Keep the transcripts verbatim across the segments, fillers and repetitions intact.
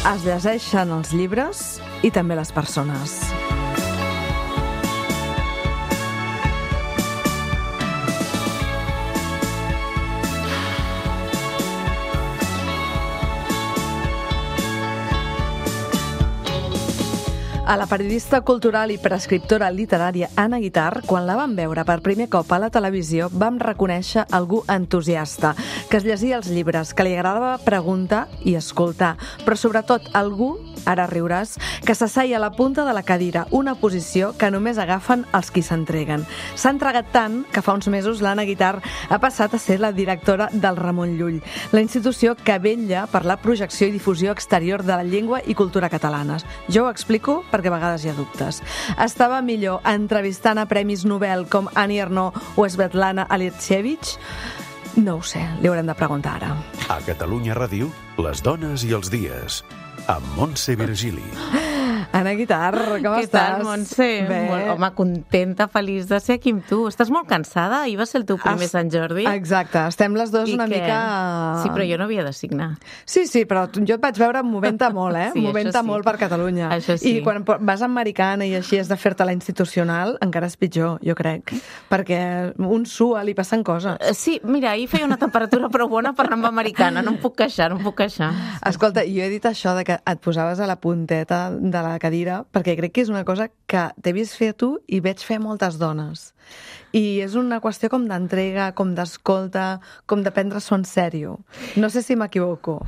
Es llegeixen els llibres i també les persones. A la periodista cultural i prescriptora literària Anna Guitart, quan la vam veure per primer cop a la televisió, vam reconèixer algú entusiasta, que es llegia els llibres, que li agradava preguntar i escoltar, però sobretot algú, ara riuràs, que s'asseia a la punta de la cadira, una posició que només agafen els qui s'entreguen. S'ha entregat tant que fa uns mesos l'Anna Guitart ha passat a ser la directora del Ramon Llull, la institució que vetlla per la projecció i difusió exterior de la llengua i cultura catalanes. Jo ho explico perquè a vegades hi ha dubtes. Estava millor entrevistant a premis Nobel com Annie Ernaux o Svetlana Alexievich? No ho sé, li haurem de preguntar ara. A Catalunya Ràdio, les dones i els dies, amb Montse Virgili. Anna Guitart, com Què estàs? Què tal, Montse? Bé. Molt, home, contenta, feliç de ser aquí amb tu. Estàs molt cansada? Ahir va ser el teu primer Es... Sant Jordi. Exacte, estem les dues I una què? mica... Sí, però jo no havia de signar. Sí, sí, però jo et vaig veure movent-te molt, eh? Sí, movent-te això sí. molt per Catalunya. Això sí. I quan vas americana i així has de fer-te la institucional, encara és pitjor, jo crec. Perquè un sua, li passen coses. Eh, Sí, mira, ahir feia una temperatura prou bona per anar amb americana. No em puc queixar, no em puc queixar. Escolta, jo he dit això de que et posaves a la punteta de la cadira perquè crec que és una cosa que t'he vist fer a tu i veig fer a moltes dones. I és una qüestió com d'entrega, com d'escolta, com de prendre-s'ho en sèrio. No sé si m'equivoco.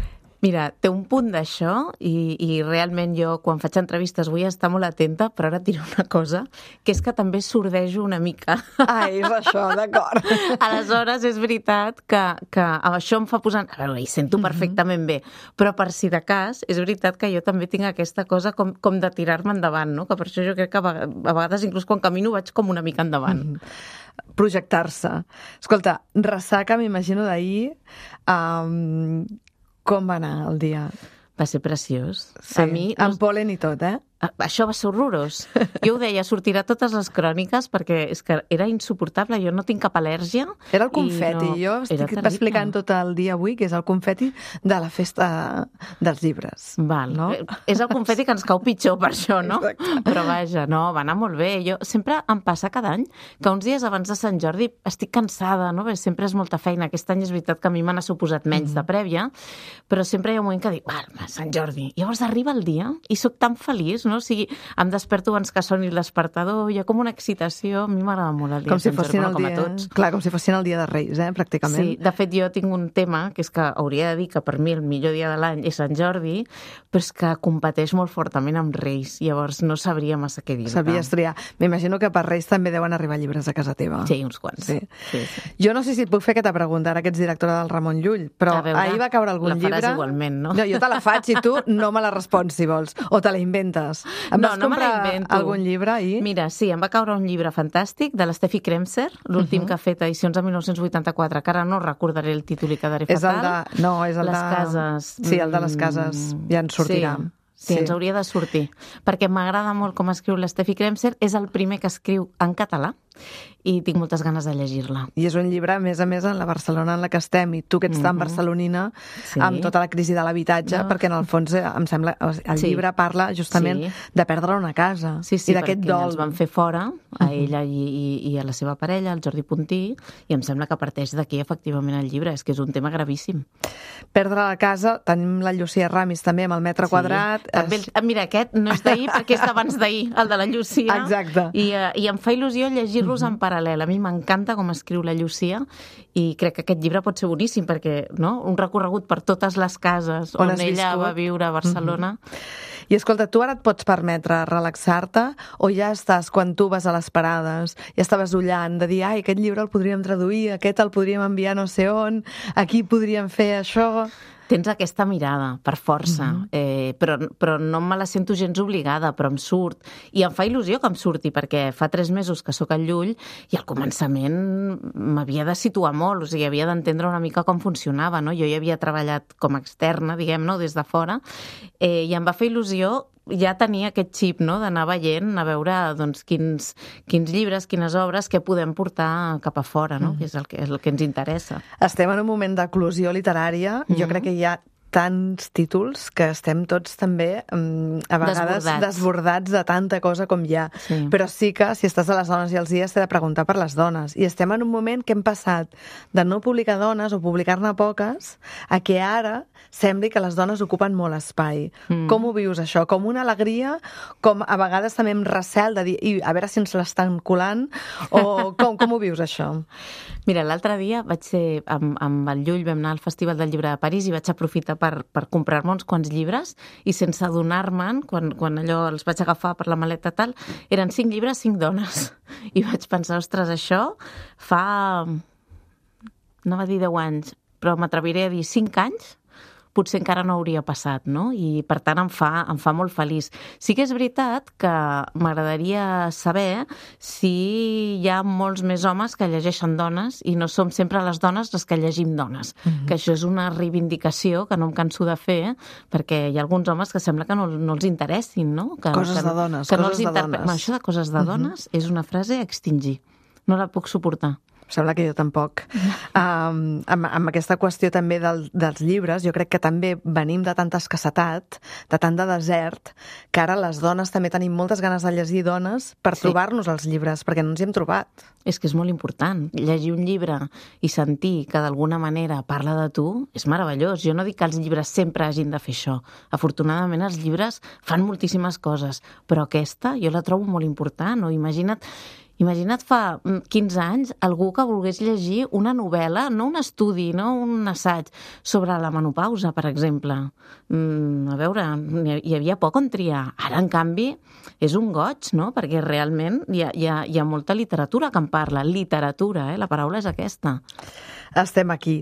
Mira, té un punt d'això i, i realment jo quan faig entrevistes vull estar molt atenta, però ara diré una cosa, que és que també sordejo una mica. Ah, és això, d'acord. Aleshores, és veritat que, que això em fa posar... A veure, hi sento perfectament bé, però per si de cas, és veritat que jo també tinc aquesta cosa com, com de tirar-me endavant, no? Que per això jo crec que a vegades, inclús quan camino, vaig com una mica endavant. Mm-hmm. Projectar-se. Escolta, ressaca, m'imagino d'ahir... Um, com va anar el dia? Va ser preciós. Sí, a mi, amb pol·len i tot, eh? Això va ser horrorós. Jo ho deia, sortirà totes les cròniques perquè és que era insuportable, jo no tinc cap al·lèrgia. Era el confeti, no... jo estic explicant tot el dia avui, que és el confeti de la festa dels llibres. Val. No? És el confeti que ens cau pitjor per això, no? Exacte. Però vaja, no, va anar molt bé. Jo sempre em passa cada any que uns dies abans de Sant Jordi estic cansada, no? Perquè sempre és molta feina. Aquest any és veritat que a mi me n'ha suposat menys mm. de prèvia, però sempre hi ha un moment que dic, val, Sant Jordi. Llavors arriba el dia i sóc tan feliç, no? O sigui, em desperto abans que soni el despertador, hi ha com una excitació, a mi m'agrada molt el dia com de si Sant Jordi, fossin el com a dia, tots. clar, com si fossin el dia de Reis, eh, pràcticament. Sí, de fet jo tinc un tema, que és que hauria de dir que per mi el millor dia de l'any és Sant Jordi, però és que competeix molt fortament amb Reis, llavors no sabria massa què dir. Sabies triar. M'imagino que per Reis també deuen arribar llibres a casa teva. Sí, uns quants. Sí. Sí, sí. Jo no sé si et puc fer aquesta pregunta, ara que ets directora del Ramon Llull, però veure, ahir va caure algun la faràs llibre... igualment, no? No, jo te la faig i tu no me la respons, si vols. O te la inventes. Em No, vas no me la comprar invento. algun llibre ahir? Mira, sí, em va caure un llibre fantàstic de l'Steffi Kremser, l'últim uh -huh. que ha fet edicions de mil nou-cents vuitanta-quatre, que ara no recordaré el títol i quedaré És fatal. el de... No, és el les de... cases. Sí, el de les cases. Ja ens sortirà. Sí. Sí, sí, ens hauria de sortir, perquè m'agrada molt com escriu l'Steffi Kremser, és el primer que escriu en català i tinc moltes ganes de llegir-la. I és un llibre, a més a més, en la Barcelona en la que estem, i tu que ets tan Mm-hmm. barcelonina, Sí. amb tota la crisi de l'habitatge, No. perquè en el fons eh, em sembla, el Sí. llibre parla justament Sí. de perdre una casa Sí, sí, i d'aquest perquè dol. ens van fer fora, a ella i, i, i a la seva parella, el Jordi Puntí, i em sembla que parteix d'aquí, efectivament, el llibre. És que és un tema gravíssim. Perdre la casa, tenim la Llucia Ramis també amb el metre quadrat. També, És... el- mira, aquest no és d'ahir perquè és d'abans d'ahir, el de la Llucia. Exacte. I, eh, i em fa il·lusió llegir-los en paral·lel. A mi m'encanta com escriu la Llucia i crec que aquest llibre pot ser boníssim perquè, no?, un recorregut per totes les cases on, On has ella viscut. va viure a Barcelona. I escolta, tu ara et pots permetre relaxar-te o ja estàs, quan tu vas a les parades, ja estaves ullant de dir, ai, aquest llibre el podríem traduir, aquest el podríem enviar no sé on, aquí podríem fer això... Tens aquesta mirada, per força, mm -hmm. eh, però, però no me la sento gens obligada, però em surt. I em fa il·lusió que em surti, perquè fa tres mesos que sóc al Llull i al començament m'havia de situar molt, o sigui, havia d'entendre una mica com funcionava, no? Jo hi havia treballat com a externa, diguem, no?, des de fora, eh, i em va fer il·lusió ja tenia aquest xip, no?, d'anar veient, a veure doncs, quins, quins llibres, quines obres que podem portar cap a fora, no?, mm. que és el que, és el que ens interessa. Estem en un moment d'eclosió literària. Mm-hmm. Jo crec que hi ha tants títols que estem tots també um, a vegades Desbordats. desbordats de tanta cosa com hi ha. Sí. Però sí que, si estàs a les dones i els dies, t'he de preguntar per les dones. I estem en un moment que hem passat de no publicar dones o publicar-ne poques a que ara sembli que les dones ocupen molt espai. Mm. Com ho vius, això? Com una alegria? Com a vegades també amb recel de dir i a veure si ens l'estan colant? O com, com ho vius, això? Mira, l'altre dia vaig ser amb, amb el Llull, vam anar al Festival del Llibre de París i vaig aprofitar per, per comprar-me uns quants llibres i sense adonar-me'n, quan, quan allò els vaig agafar per la maleta tal, eren cinc llibres, cinc dones. I vaig pensar, ostres, això fa... no va dir deu anys, però m'atreviré a dir cinc anys, potser encara no hauria passat, no? I, per tant, em fa, em fa molt feliç. Sí que és veritat que m'agradaria saber si hi ha molts més homes que llegeixen dones i no som sempre les dones les que llegim dones, mm-hmm. que això és una reivindicació que no em canso de fer, perquè hi ha alguns homes que sembla que no, no els interessin, no? Que, coses que, de dones, que no coses els de interpe... dones. Això de coses de dones mm-hmm. és una frase a extingir. No la puc suportar. Sembla que jo tampoc. Um, amb, amb aquesta qüestió també del, dels llibres, jo crec que també venim de tanta escassetat, de tant de desert, que ara les dones també tenim moltes ganes de llegir dones per sí. trobar-nos els llibres, perquè no ens hi hem trobat. És que és molt important. Llegir un llibre i sentir que d'alguna manera parla de tu és meravellós. Jo no dic que els llibres sempre hagin de fer això. Afortunadament els llibres fan moltíssimes coses, però aquesta jo la trobo molt important. No? Imagina't Imagina't fa quinze anys algú que volgués llegir una novel·la, no un estudi, no un assaig, sobre la menopausa, per exemple. Mm, a veure, hi havia poc on triar. Ara, en canvi, és un goig, no? Perquè realment hi ha, hi ha, hi ha molta literatura que en parla. Literatura, eh? La paraula és aquesta. Estem aquí.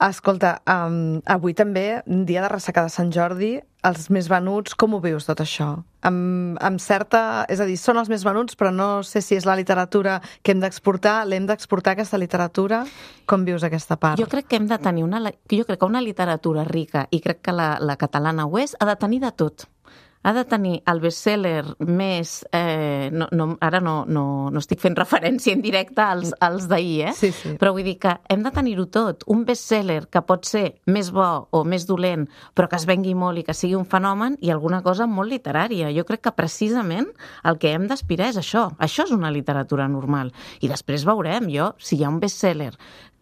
Escolta, um, avui també, dia de ressaca de Sant Jordi, els més venuts, com ho vius tot això? Amb, amb certa... És a dir, són els més venuts, però no sé si és la literatura que hem d'exportar, l'hem d'exportar aquesta literatura? Com vius aquesta part? Jo crec que hem de tenir una... Jo crec que una literatura rica, i crec que la, la catalana ho és, ha de tenir de tot. Ha de tenir el best-seller més... Eh, no, no, ara no, no, no estic fent referència en directe als, als d'ahir, eh? Sí, sí. Però vull dir que hem de tenir-ho tot. Un best-seller que pot ser més bo o més dolent, però que es vengui molt i que sigui un fenomen, i alguna cosa molt literària. Jo crec que precisament el que hem d'aspirar és això. Això és una literatura normal. I després veurem, jo, si hi ha un best-seller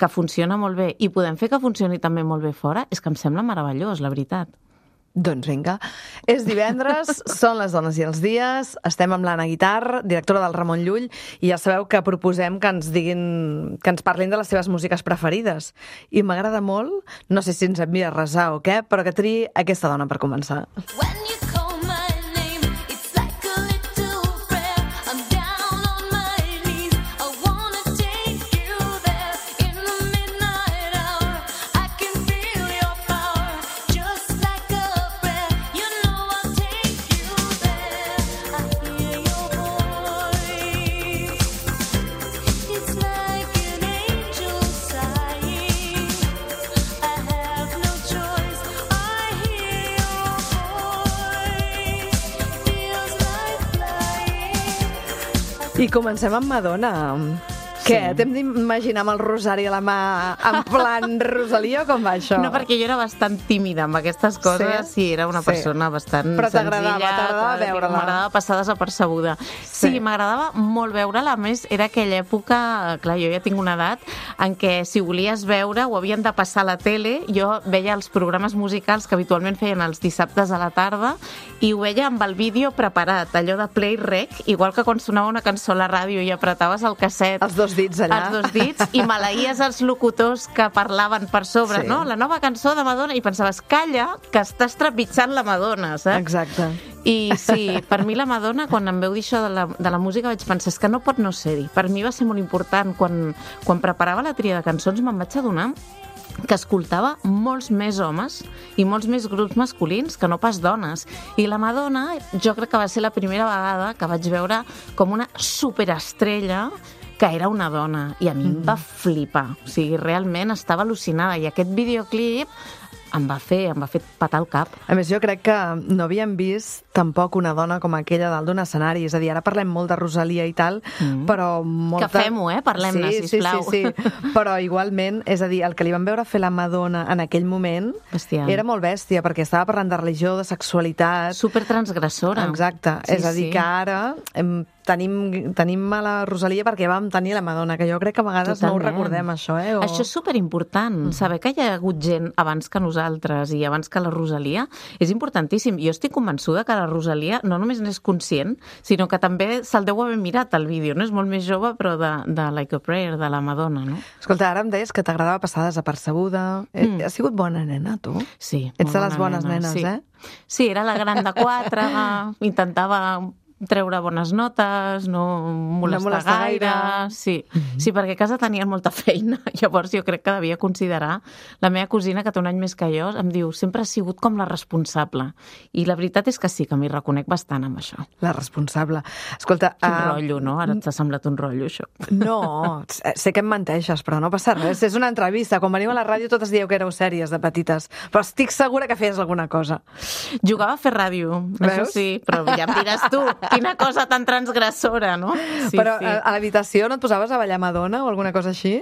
que funciona molt bé i podem fer que funcioni també molt bé fora, és que em sembla meravellós, la veritat. Doncs vinga, és divendres, són les dones i els dies, estem amb l'Anna Guitar, directora del Ramon Llull, i ja sabeu que proposem que ens diguin, que ens parlin de les seves músiques preferides. I m'agrada molt, no sé si ens envia a resar o què, però que triï aquesta dona per començar. I comencem amb Madonna. Què? Sí. T'hem d'imaginar amb el rosari a la mà en plan Rosalia, com va això? No, perquè jo era bastant tímida amb aquestes coses, sí, sí era una persona sí. bastant Però t'agradava, senzilla. t'agradava veure-la. M'agradava passar desapercebuda. Sí, sí m'agradava molt veure-la. A més, era aquella època, clar, jo ja tinc una edat, en què si volies veure ho havien de passar a la tele. Jo veia els programes musicals que habitualment feien els dissabtes a la tarda i ho veia amb el vídeo preparat, allò de play rec, igual que quan sonava una cançó a la ràdio i apretaves el casset. Els dos dits allà. Els dos dits, i maleïes els locutors que parlaven per sobre, sí. no? La nova cançó de Madonna, i pensaves, calla, que estàs trepitjant la Madonna, saps? Exacte. I sí, per mi la Madonna, quan em veu dir això de la, de la música, vaig pensar, és que no pot no ser-hi. Per mi va ser molt important. Quan, quan preparava la tria de cançons me'n vaig adonar que escoltava molts més homes i molts més grups masculins que no pas dones. I la Madonna, jo crec que va ser la primera vegada que vaig veure com una superestrella que era una dona, i a mi mm. em va flipar. O sigui, realment estava al·lucinada. I aquest videoclip em va fer, em va fer patar el cap. A més, jo crec que no havíem vist tampoc una dona com aquella dalt d'un escenari. És a dir, ara parlem molt de Rosalia i tal, mm. però molta... Que fem-ho, eh? Parlem-ne, sí, sisplau. Sí, sí, sí. Però igualment, és a dir, el que li van veure fer la Madonna en aquell moment Bestial. Era molt bèstia, perquè estava parlant de religió, de sexualitat... Supertransgressora. Exacte. Sí, és a dir, sí. que ara em, tenim, tenim a la Rosalia perquè vam tenir la Madonna, que jo crec que a vegades Totalment. No ho recordem, això, eh? O... Això és superimportant, mm. saber que hi ha hagut gent abans que nosaltres i abans que la Rosalia és importantíssim. Jo estic convençuda que la Rosalia no només n'és conscient, sinó que també se'l deu haver mirat el vídeo, no? És molt més jove, però de, de Like a Prayer, de la Madonna, no? Escolta, ara em deies que t'agradava passar desapercebuda. Mm. Has sigut bona nena, tu? Sí. Ets de les bones nena, nenes, sí. eh? Sí, era la gran de quatre, intentava treure bones notes, no molestar, no molestar gaire. gaire. Sí. Mm-hmm. Sí, perquè a casa tenien molta feina. Llavors jo crec que devia considerar... La meva cosina, que té un any més que jo, em diu, sempre ha sigut com la responsable. I la veritat és que sí, que m'hi reconec bastant amb això. La responsable. Escolta... Quin uh... rotllo, no? Ara t'ha semblat un rotllo, això. No, sé que em menteixes, però no passa res. És una entrevista. Quan veniu a la ràdio totes dieu que éreu sèries de petites, però estic segura que feies alguna cosa. Jugava a fer ràdio, Veus? Això sí, però ja em diràs tu. Quina cosa tan transgressora, no? Sí, però sí. a l'habitació no et posaves a ballar Madonna o alguna cosa així?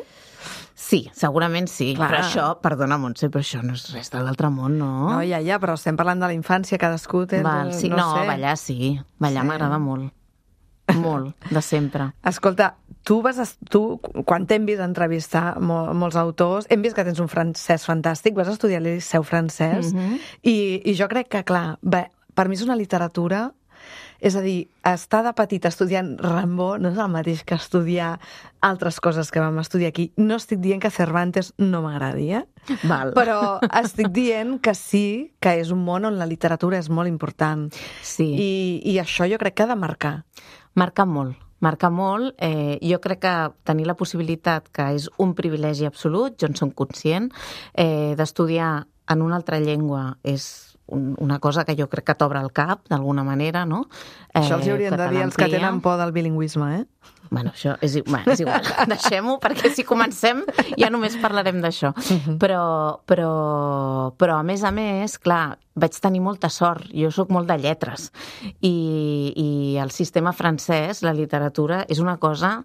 Sí, segurament sí. Clar. Però això, perdona, Montse, però això no és res de l'altre món, no? No, ja, ja, però estem parlant de la infància, cadascú té... Val, sí, no, no sé. ballar sí. Ballar sí. M'agrada molt. Molt, de sempre. Escolta, tu vas... Tu, quan t'hem vist entrevistar mol, molts autors, hem vist que tens un francès fantàstic, vas estudiar el Liceu francès, mm-hmm. i, i jo crec que, clar, bé, per mi és una literatura... És a dir, estar de petita estudiant Rimbaud no és el mateix que estudiar altres coses que vam estudiar aquí. No estic dient que Cervantes no m'agradi, eh? Val. Però estic dient que sí, que és un món on la literatura és molt important. Sí. I, i això jo crec que ha de marcar. Marca molt. Marca molt. Eh, jo crec que tenir la possibilitat, que és un privilegi absolut, jo en som conscient, eh, d'estudiar en una altra llengua és una cosa que jo crec que t'obre el cap, d'alguna manera, no? Eh, això els haurien de dir els que tenen por del bilingüisme, eh? Bueno, això és, bueno, és igual. Deixem-ho, perquè si comencem ja només parlarem d'això. Uh-huh. Però, però, però, a més a més, clar, vaig tenir molta sort. Jo sóc molt de lletres. I, i el sistema francès, la literatura, és una cosa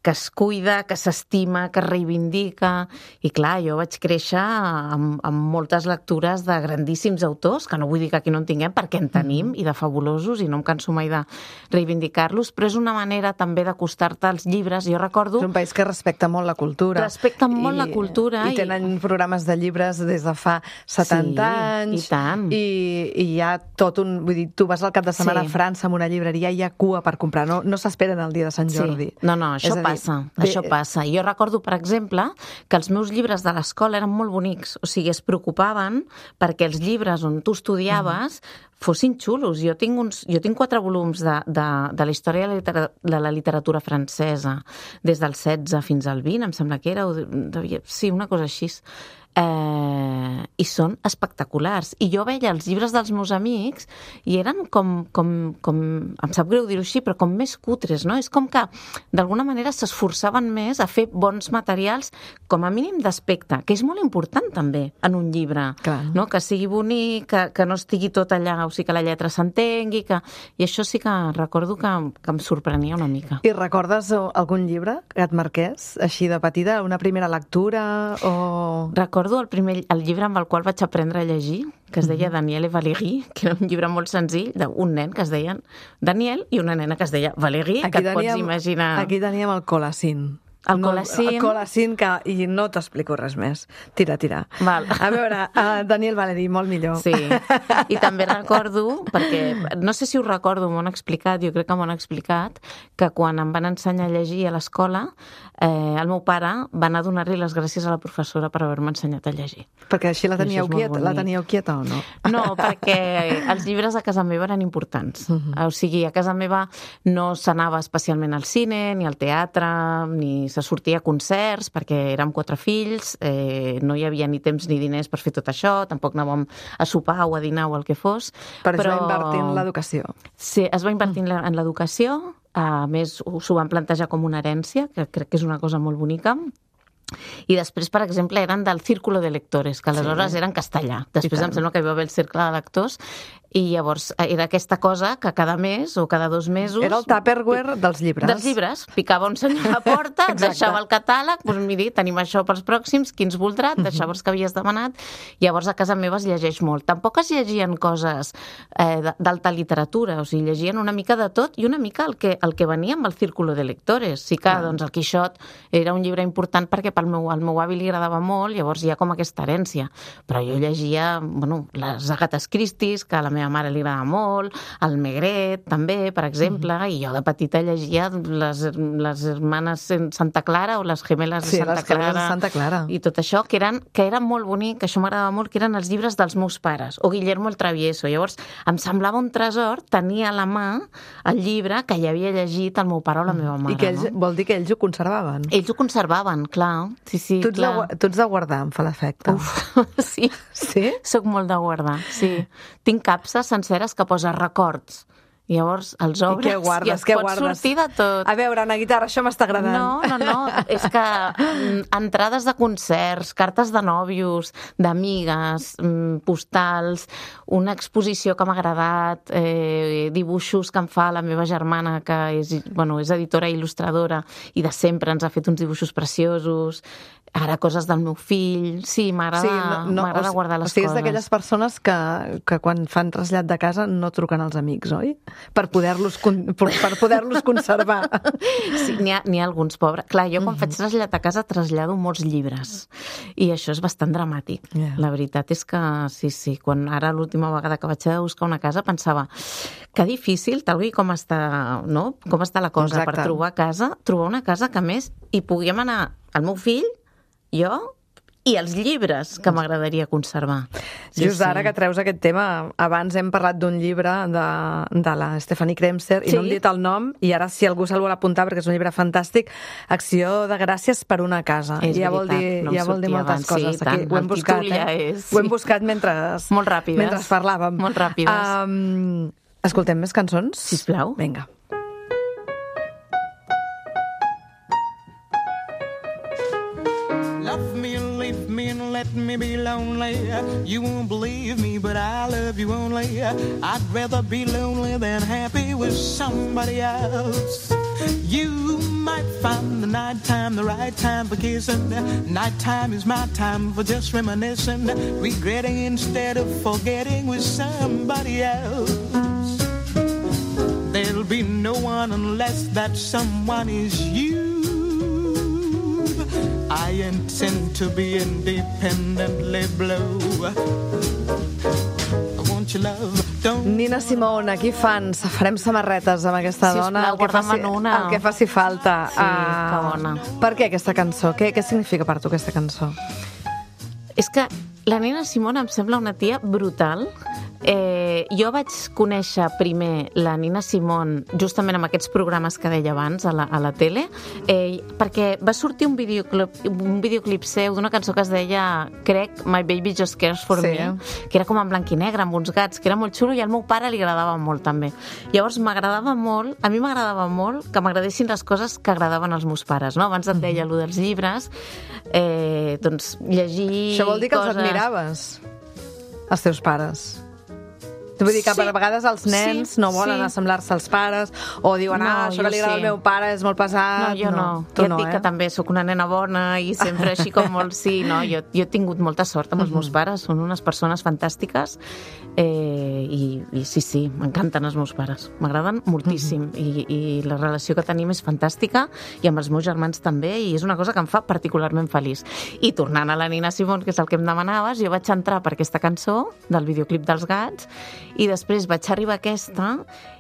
que es cuida, que s'estima, que es reivindica. I clar, jo vaig créixer amb, amb moltes lectures de grandíssims autors, que no vull dir que aquí no en tinguem, perquè en tenim, i de fabulosos, i no em canso mai de reivindicar-los, però és una manera també d'acostar-te als llibres. Jo recordo... És un país que respecta molt la cultura. Respecta molt I, la cultura. I tenen i... programes de llibres des de fa setanta sí, anys. I tant. I, i hi ha tot un... Vull dir, tu vas al cap de setmana sí. a França amb una llibreria i hi ha cua per comprar. No, no s'esperen el dia de Sant Jordi. Sí. No, no, això passa. Passa, Bé... això passa. Jo recordo, per exemple, que els meus llibres de l'escola eren molt bonics. O sigui, es preocupaven perquè els llibres on tu estudiaves mm. fossin xulos. Jo tinc, uns, jo tinc quatre volums de, de, de la història de la, literatura, de la literatura francesa, des del setze fins al vint, em sembla que era, o devia, sí, una cosa així. Eh, i són espectaculars. I jo veia els llibres dels meus amics i eren com, com, com em sap greu dir-ho així, però com més cutres, no? És com que, d'alguna manera, s'esforçaven més a fer bons materials, com a mínim d'aspecte, que és molt important també en un llibre, Clar. No? Que sigui bonic, que, que no estigui tot allà, o sigui, que la lletra s'entengui, que... i això sí que recordo que, que em sorprenia una mica. I recordes algun llibre que et marqués, així de petita, una primera lectura o... Recordo el, primer, el llibre amb el qual vaig aprendre a llegir, que es deia Daniel et Valérie, que era un llibre molt senzill d'un nen que es deia Daniel i una nena que es deia Valérie, aquí que et teníem, pots imaginar... Aquí teníem el Colacín. El no, Colacín. El Colacín, que, i no t'explico res més. Tira, tira. Val. A veure, uh, Daniel Valérie, molt millor. Sí, i també recordo, perquè no sé si ho recordo, m'ho han explicat, jo crec que m'ho han explicat, que quan em van ensenyar a llegir a l'escola, eh, el meu pare va anar a donar-li les gràcies a la professora per haver-me ensenyat a llegir. Perquè així la teníeu quieta, la teníeu quieta o no? No, perquè els llibres a casa meva eren importants. Uh-huh. O sigui, a casa meva no s'anava especialment al cine, ni al teatre, ni se sortia a concerts, perquè érem quatre fills, eh, no hi havia ni temps ni diners per fer tot això, tampoc anàvem a sopar o a dinar o el que fos. Però, però... es va invertir en l'educació. Sí, es va invertir mm. en l'educació, a més s'ho van plantejar com una herència, que crec que és una cosa molt bonica, I després, per exemple, eren del Círculo de Lectores, que aleshores sí. eren castellà. Després em sembla que hi va haver el Cercle de Lectors, i llavors era aquesta cosa que cada mes o cada dos mesos... Era el Tupperware dels llibres. Dels llibres. Picava un senyor a la porta, et deixava el catàleg, doncs miri, tenim això pels pròxims, qui ens voldrà, et deixava els que havies demanat. Llavors a casa meva es llegeix molt. Tampoc es llegien coses eh, d'alta literatura, o sigui, llegien una mica de tot i una mica el que, el que venia amb el Círculo de Lectores. Sí que ah. doncs, el Quixot era un llibre important perquè pel meu, al meu avi li agradava molt, llavors hi ha com aquesta herència. Però jo llegia, bueno, les Agates Christies, que a la meva mare li agrada molt, el Maigret també, per exemple, mm. i jo de petita llegia les, les hermanes Santa Clara o les gemeles sí, de Santa les Clara, de Santa Clara i tot això, que eren, que eren molt bonic, que això m'agradava molt, que eren els llibres dels meus pares, o Guillermo el Travieso. Llavors em semblava un tresor tenir a la mà el llibre que ja havia llegit el meu pare o la meva mare. I que ells, no? vol dir que ells ho conservaven? Ells ho conservaven, clar. Sí, sí, tu, ets clar. de, tu ets de guardar, em fa l'efecte. Uf, sí. Sí? Soc molt de guardar, sí. Tinc capses senceres que posa records. I llavors els obres i, guardes, i es pot guardes? sortir de tot. A veure, Ana Guitarra, això m'està agradant. No, no, no. És que entrades de concerts, cartes de nòvios, d'amigues, postals, una exposició que m'ha agradat, eh, dibuixos que em fa la meva germana, que és, bueno, és editora i il·lustradora, i de sempre ens ha fet uns dibuixos preciosos. Ara coses del meu fill. Sí, m'agrada sí, no, no, guardar les o sigui, coses. És d'aquelles persones que, que quan fan trasllat de casa no truquen als amics, oi? Per poder-los per poder-los conservar. Sí, n'hi ha, n'hi ha alguns, pobres. Clar, jo quan mm-hmm. faig trasllat a casa trasllado molts llibres. I això és bastant dramàtic. Yeah. La veritat és que, sí, sí, quan ara l'última vegada que vaig a buscar una casa pensava que difícil, tal com està, no? Com està la cosa. Exacte. Per trobar casa, trobar una casa que més hi puguem anar el meu fill, jo i els llibres que m'agradaria conservar. Sí, Just sí. ara que treus aquest tema, abans hem parlat d'un llibre de, de la Stephanie Kremser i sí. no hem dit el nom, i ara si algú se'l vol apuntar perquè és un llibre fantàstic, Acció de gràcies per una casa. És ja veritat, vol dir, no ja vol dir moltes abans, coses. Sí, Aquí ho hem buscat, eh? Ja és, sí. Ho hem buscat mentre, Molt ràpides. mentre parlàvem. Molt ràpides. Um, escoltem més cançons? Sisplau. Vinga. Let me be lonely. You won't believe me, but I love you only. I'd rather be lonely than happy with somebody else. You might find the nighttime the right time for kissing. Nighttime is my time for just reminiscing, regretting instead of forgetting with somebody else. There'll be no one unless that someone is you. I intend to be independently blue. I want your love. Don't... Nina Simone, aquí fans, farem samarretes amb aquesta Sisplau, dona, el que, faci, una. el que faci falta. Sí, uh, que bona. Per què aquesta cançó? Què, què significa per tu aquesta cançó? És que la Nina Simone em sembla una tia brutal. Eh, jo vaig conèixer primer la Nina Simone justament amb aquests programes que deia abans a la, a la tele, eh, perquè va sortir un videoclip, un videoclip seu d'una cançó que es deia, crec, My Baby Just Cares For sí. Me, que era com en blanc i negre, amb uns gats, que era molt xulo, i al meu pare li agradava molt també. Llavors m'agradava molt, a mi m'agradava molt que m'agradessin les coses que agradaven als meus pares, no? Abans et deia allò dels llibres, eh, doncs llegir Això vol dir que coses... els admiraves, els teus pares? Vull dir que sí. per vegades els nens sí, no volen sí. assemblar-se als pares o diuen, no, ah, això que li agrada sí. al meu pare és molt pesat. No, jo no. no. Tu ja et no, dic eh? que també sóc una nena bona i sempre així com molt sí. No, jo, jo he tingut molta sort amb els meus pares, són unes persones fantàstiques eh, i, i sí, sí, m'encanten els meus pares. M'agraden moltíssim i, i la relació que tenim és fantàstica i amb els meus germans també, i és una cosa que em fa particularment feliç. I tornant a la Nina Simone, que és el que em demanaves, jo vaig entrar per aquesta cançó del videoclip dels gats i després vaig arribar a aquesta,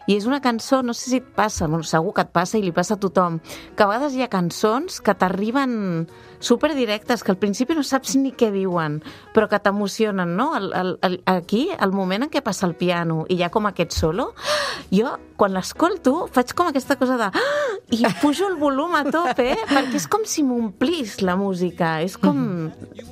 i és una cançó, no sé si et passa, bueno, segur que et passa i li passa a tothom, que a vegades hi ha cançons que t'arriben superdirectes, que al principi no saps ni què diuen, però que t'emocionen, no? El, el, el, aquí, el moment en què passa el piano i hi ha com aquest solo, jo, quan l'escolto, faig com aquesta cosa de... i pujo el volum a tope, eh? Perquè és com si m'omplís la música. És com...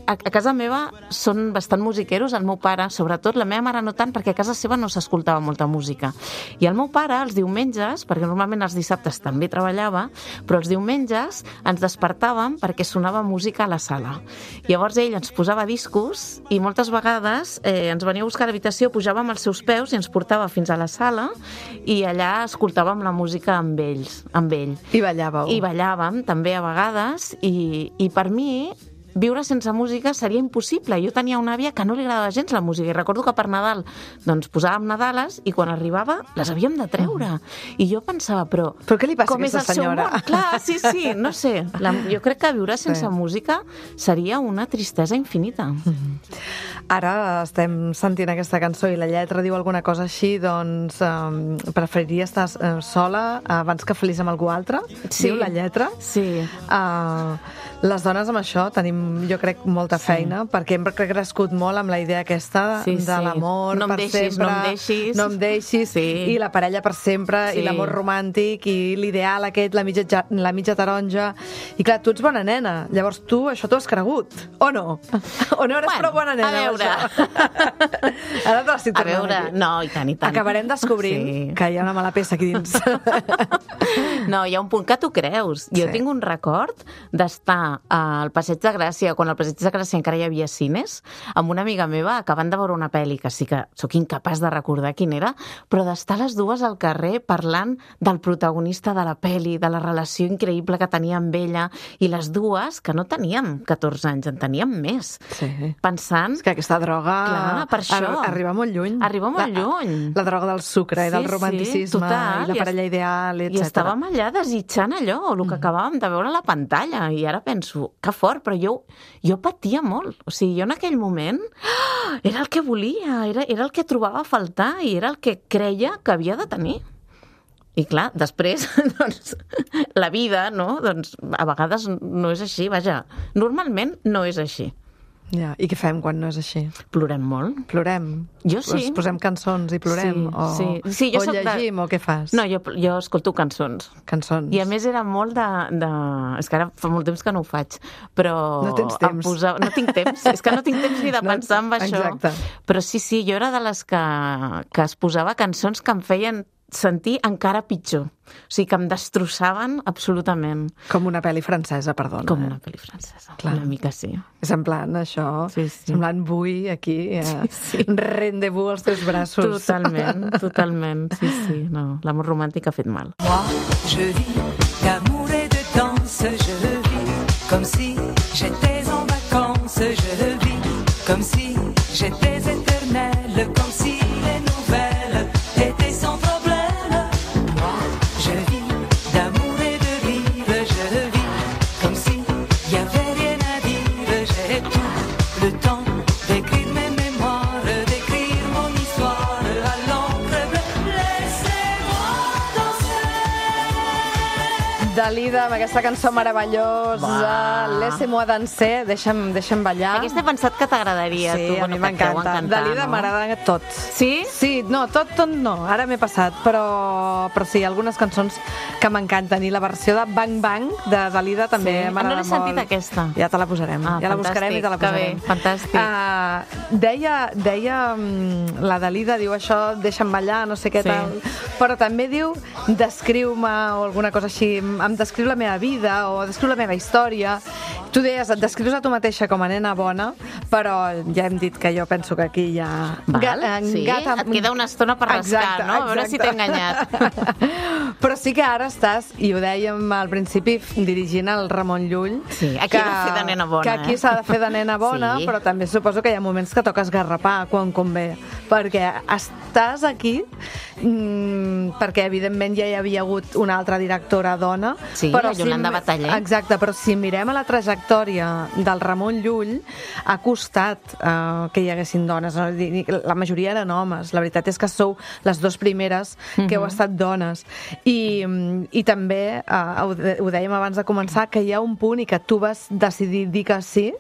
A, a casa meva són bastant musiqueros, el meu pare, sobretot, la meva mare no tant, perquè a casa seva no s'escoltava molta música. I el meu pare, els diumenges, perquè normalment els dissabtes també treballava, però els diumenges ens despertàvem perquè sonava posava música a la sala. Llavors ell ens posava discos i moltes vegades eh, ens venia a buscar a l'habitació, pujàvem als seus peus i ens portava fins a la sala i allà escoltàvem la música amb ells, amb ell. I ballàveu. I ballàvem també a vegades i, i per mi viure sense música seria impossible. Jo tenia una àvia que no li agradava gens la música i recordo que per Nadal doncs posàvem Nadales i quan arribava les havíem de treure. I jo pensava, però... Però què li passa com a aquesta és el senyora? Seu món? Clar, sí, sí, no sé. La, jo crec que viure sense Sí. música seria una tristesa infinita. Ara estem sentint aquesta cançó i la lletra diu alguna cosa així, doncs um, preferiria estar uh, sola abans que feliç amb algú altre? Sí. Diu la lletra? Sí. Uh, les dones amb això tenim, jo crec, molta feina, sí. perquè hem crescut molt amb la idea aquesta Sí, de sí. l'amor No em per deixis, sempre, no em deixis. no em deixis, Sí. i la parella per sempre, Sí. i l'amor romàntic, i l'ideal aquest, la mitja, ja- la mitja taronja. I clar, tu ets bona nena, llavors tu això t'ho has cregut, o no? O no eres Bueno, prou bona nena? a amb veure. això? Ara te l'estic A tornant veure, aquí. no, i tant, i tant. Acabarem descobrint Sí. que hi ha una mala peça aquí dins. No, hi ha un punt que tu creus. Jo Sí. tinc un record d'estar al Passeig de Gràcia, quan al Passeig de Gràcia encara hi havia cines, amb una amiga meva acabant de veure una pel·li, que sí que sóc incapaç de recordar quin era, però d'estar les dues al carrer parlant del protagonista de la pel·li, de la relació increïble que tenia amb ella, i les dues, que no teníem catorze anys, en teníem més, Sí. pensant... És que aquesta droga Clar, per això. ar- arriba molt lluny. Arriba molt la, lluny. La droga del sucre i del Sí, sí, romanticisme total. i la I parella es- ideal, I etcètera. estàvem allà desitjant allò, el que acabàvem de veure a la pantalla, i ara penso, que fort, però jo, jo patia molt. O sigui, jo en aquell moment ah, era el que volia, era, era el que trobava a faltar i era el que creia que havia de tenir. I clar, després, doncs, la vida, no? Doncs a vegades no és així, vaja, normalment no és així. Ja. I què fem quan no és així? Plorem molt. Plorem? Jo sí. Pues posem cançons i plorem? Sí, o, sí. Sí, jo o soc de- llegim, o què fas? No, jo, jo escolto cançons. Cançons. I a més era molt de, de... És que ara fa molt temps que no ho faig, però... No tens em temps. Posava... No tinc temps, és que no tinc temps ni de No, pensar en això. exacte. Però sí, sí, jo era de les que, que es posava cançons que em feien sentir encara pitjor. O sigui, que em destrossaven absolutament. Com una pel·li francesa, perdona. Com eh? una pel·li francesa. Clar. Una mica sí. És en plan això, Sí, sí. semblant bui aquí, eh, Sí, sí. rendez-vous als teus braços. Totalment, totalment. Sí, sí. No, l'amor romàntic ha fet mal. Moi, je vis d'amour et de danse, je vis comme si j'étais en vacances, je vis comme si j'étais éternelle, comme si les nouvelles étaient sans problème. Moi, je vis d'amour et de rire, je vis comme si y avait rien à dire, j'ai tout le temps d'écrire mes mémoires, d'écrire mon histoire à l'encre bleue. Laissez-moi danser. Dalida, amb aquesta cançó meravellosa, Va. Laissez-moi danser, deixa'm, deixa'm ballar. Aquesta he pensat que t'agradaria. Sí, tu, a bueno, mi que et deu m'encanta. encantar, Dalida no? m'agrada tot. Sí? Sí, no, tot, tot no. Ara m'he passat, però, però sí, algunes cançons que m'encanten. I la versió de Bang Bang de Dalida també Sí? Ah, no m'agrada l'he molt. sentit, aquesta. Ja te la posarem. Ah, ja la buscarem i te la fantàstic, que posarem. bé, fantàstic. Uh, deia, deia mm, la Dalida, diu això, deixa'm ballar, no sé què Sí. tal, però també diu descriu-me o alguna cosa així, em descriu la meva vida o descriu la meva història. Tu deies, et descrius a tu mateixa com a nena bona, però ja hem dit que jo penso que aquí hi ha... Val, ga- sí, gata- et queda una estona per rascar, Exacte, no? A veure si t'he enganyat. Però sí que ara estàs, i ho dèiem al principi, dirigint el Ramon Llull. Sí, aquí hem de fer de nena bona, Que aquí eh? s'ha de fer de nena bona, Sí. però també suposo que hi ha moments que toques garrapar quan convé, perquè estàs aquí mmm, perquè evidentment ja hi havia hagut una altra directora dona. Sí, però la Yolanda Bataller. Exacte, però si mirem a la trajectòria del Ramon Llull, ha costat uh, que hi haguessin dones. No? La majoria eren homes. La veritat és que sou les dues primeres que heu estat dones. I, i també, uh, ho, ho dèiem abans de començar, que hi ha un punt i que tu vas decidir dir que sí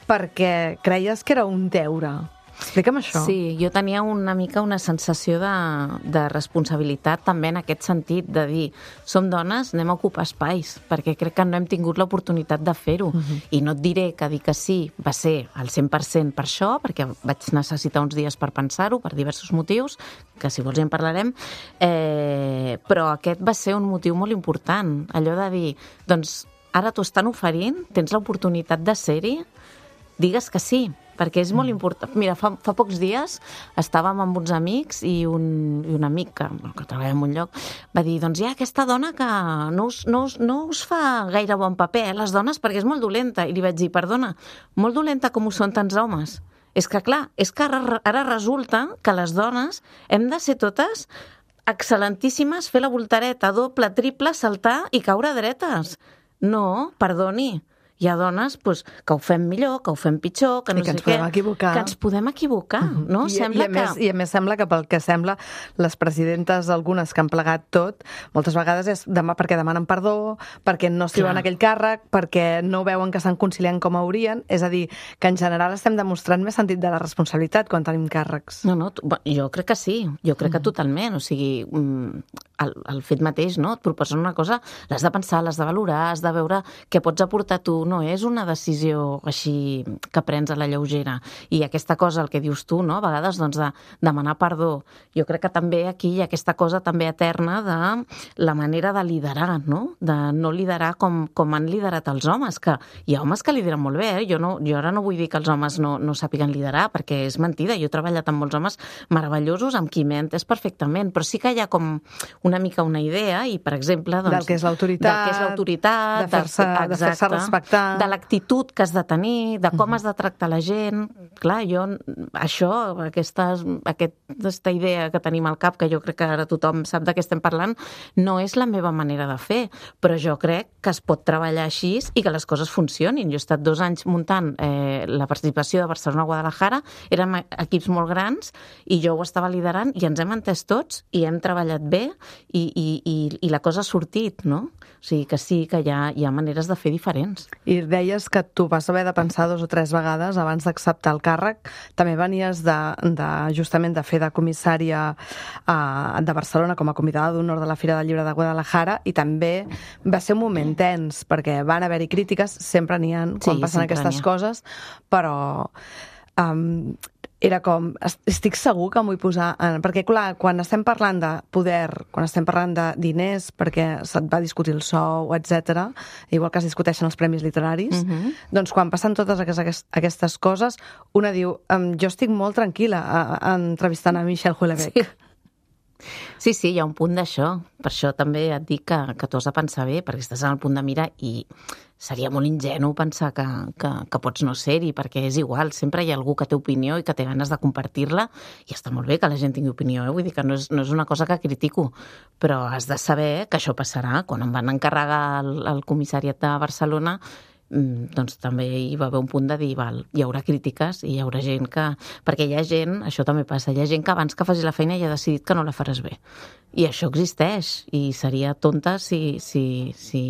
perquè creies que era un deure. Explica'm això. Sí, jo tenia una mica una sensació de, de responsabilitat també en aquest sentit, de dir, som dones, anem a ocupar espais, perquè crec que no hem tingut l'oportunitat de fer-ho. Uh-huh. I no et diré que dir que sí va ser al cent per cent per això, perquè vaig necessitar uns dies per pensar-ho, per diversos motius, que si vols ja en parlarem, eh, però aquest va ser un motiu molt important, allò de dir, doncs, ara t'ho estan oferint, tens l'oportunitat de ser-hi, digues que sí, perquè és molt important. Mira, fa, fa pocs dies estàvem amb uns amics i un, i un amic que, que treballa en un lloc va dir, doncs hi ha aquesta dona que no us, no us, no us fa gaire bon paper, eh, les dones, perquè és molt dolenta. I li vaig dir, perdona, molt dolenta com ho són tants homes. És que, clar, és que ara, ara resulta que les dones hem de ser totes excel·lentíssimes, fer la voltareta doble, triple, saltar i caure dretes. No, perdoni. Hi ha dones pues, que ho fem millor, que ho fem pitjor, que no I que sé ens podem què. equivocar. Que ens podem equivocar, Uh-huh. no? I, Sembla i, a més, que... I a més sembla que pel que sembla les presidentes, algunes que han plegat tot, moltes vegades és demà perquè demanen perdó, perquè no es treuen Clar. aquell càrrec, perquè no veuen que estan conciliant com haurien. És a dir, que en general estem demostrant més sentit de la responsabilitat quan tenim càrrecs. No, no, tu- bé, jo crec que sí, jo crec que totalment, o sigui, mm, el, el fet mateix, no? Et proposen una cosa, l'has de pensar, l'has de valorar, has de veure què pots aportar tu, no és una decisió així que prens a la lleugera. I aquesta cosa, el que dius tu, no? A vegades, doncs, de demanar perdó. Jo crec que també aquí hi ha aquesta cosa també eterna de la manera de liderar, no? De no liderar com, com han liderat els homes, que hi ha homes que lideren molt bé, eh? Jo, no, jo ara no vull dir que els homes no, no sàpiguen liderar, perquè és mentida. Jo he treballat amb molts homes meravellosos, amb qui m'he entès perfectament, però sí que hi ha com una mica una idea i, per exemple... Doncs, Del que és l'autoritat, del que és l'autoritat, de fer-se de fer-se respectar, de l'actitud que has de tenir, de com has de tractar la gent. Clar, jo, això, aquesta, aquesta idea que tenim al cap, que jo crec que ara tothom sap de què estem parlant, no és la meva manera de fer, però jo crec que es pot treballar així i que les coses funcionin. Jo he estat dos anys muntant eh, la participació de Barcelona-Guadalajara, érem equips molt grans i jo ho estava liderant i ens hem entès tots i hem treballat bé i, i, i, i la cosa ha sortit, no? O sigui que sí que hi ha, hi ha maneres de fer diferents. I deies que tu vas haver de pensar dos o tres vegades abans d'acceptar el càrrec. També venies de, de justament de fer de comissària a, de Barcelona com a convidada d'honor de la Fira del Llibre de Guadalajara i també va ser un moment tens perquè van haver-hi crítiques, sempre n'hi ha quan Sí, passen sempre aquestes n'hi ha. coses, però... Um, era com, estic segur que m'ho vull posar en, perquè clar, quan estem parlant de poder, quan estem parlant de diners perquè se't va discutir el sou, etcètera, igual que es discuteixen els premis literaris, Mhm. doncs quan passen totes aquestes, aquestes coses, una diu, um, jo estic molt tranquil·la a, a, entrevistant a Michel Houellebecq. Sí. Sí, sí, hi ha un punt d'això. Per això també et dic que, que t'ho has de pensar bé, perquè estàs en el punt de mira i seria molt ingenu pensar que, que, que pots no ser-hi, perquè és igual, sempre hi ha algú que té opinió i que té ganes de compartir-la, i està molt bé que la gent tingui opinió, eh? Vull dir que no és, no és una cosa que critico, però has de saber que això passarà. Quan em van encarregar el, el comissariat de Barcelona, doncs també hi va haver un punt de dir, val, hi haurà crítiques i hi haurà gent que... Perquè hi ha gent, això també passa, hi ha gent que abans que faci la feina ja ha decidit que no la faràs bé. I això existeix, i seria tonta si... si, si...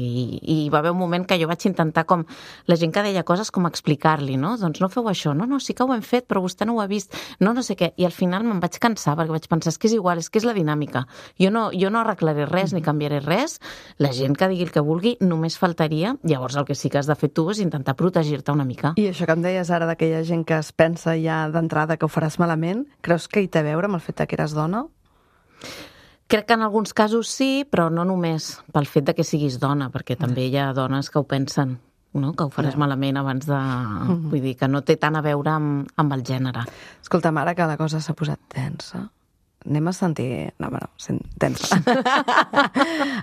I hi va haver un moment que jo vaig intentar com... La gent que deia coses com explicar-li, no? Doncs no feu això, no, no, sí que ho hem fet, però vostè no ho ha vist, no, no sé què. I al final me'n vaig cansar, perquè vaig pensar, és que és igual, és que és la dinàmica. Jo no, jo no arreglaré res ni canviaré res, la gent que digui el que vulgui només faltaria, llavors el que sí que has de fer tu és intentar protegir-te una mica. I això que em deies ara d'aquella gent que es pensa ja d'entrada que ho faràs malament, creus que hi té a veure amb el fet que eres dona? Crec que en alguns casos sí, però no només pel fet de que siguis dona, perquè també hi ha dones que ho pensen, no? Que ho faràs Ja. malament abans de... Vull dir, que no té tant a veure amb, amb el gènere. Escolta, ara que la cosa s'ha posat tensa, anem a sentir... No, bueno, sent... tensa.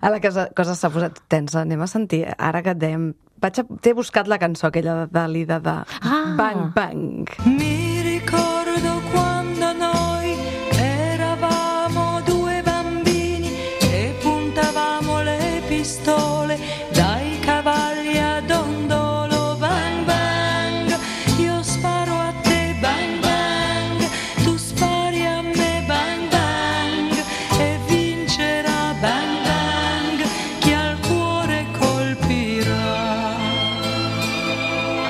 A la que la cosa s'ha posat tensa, anem a sentir... Ara que et dèiem... Vaig a... T'he buscat la cançó aquella de Dalida de Ah. Bang Bang. Mi ricordo quando noi eravamo due bambini e puntavamo le pistole dai cavalli a dondolo. Bang bang, io sparo a te. Bang bang, tu spari a me. Bang bang, e vincerà. Bang bang, chi al cuore colpirà.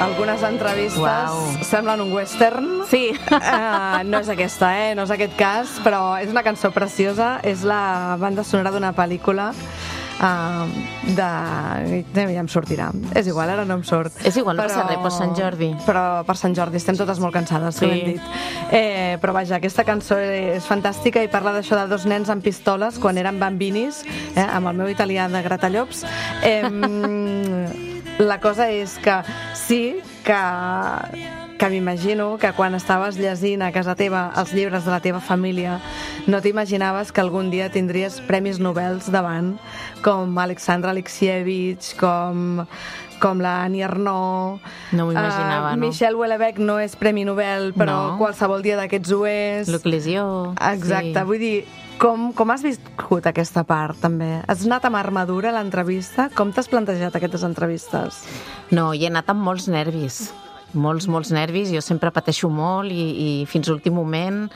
Algunes entrevistes Uau. semblen un western. Sí. Uh, no és aquesta, eh? No és aquest cas, però és una cançó preciosa. És la banda sonora d'una pel·lícula uh, de... Ja em sortirà. És igual, ara no em surt. És igual, no passa res, per Sant Jordi. Però per Sant Jordi estem totes molt cansades, Sí. sí. Ho hem dit. Eh, però vaja, aquesta cançó és fantàstica i parla d'això de dos nens amb pistoles quan eren bambinis, eh, amb el meu italià de Gratallops. Eh, La cosa és que sí que, que m'imagino que quan estaves llegint a casa teva els llibres de la teva família no t'imaginaves que algun dia tindries premis Nobel davant, com Alexandre Alexievich, com, com la Annie Ernaux. No m'ho imaginava, uh, no. Michel Houellebecq no és premi Nobel, però no. qualsevol dia d'aquests ho és. Luc Lézieux. Exacte, sí. Vull dir, com, com has viscut aquesta part, també? Has anat amb armadura a l'entrevista? Com t'has plantejat aquestes entrevistes? No, hi he anat amb molts nervis. Molts, molts nervis, jo sempre pateixo molt i, i fins a l'últim moment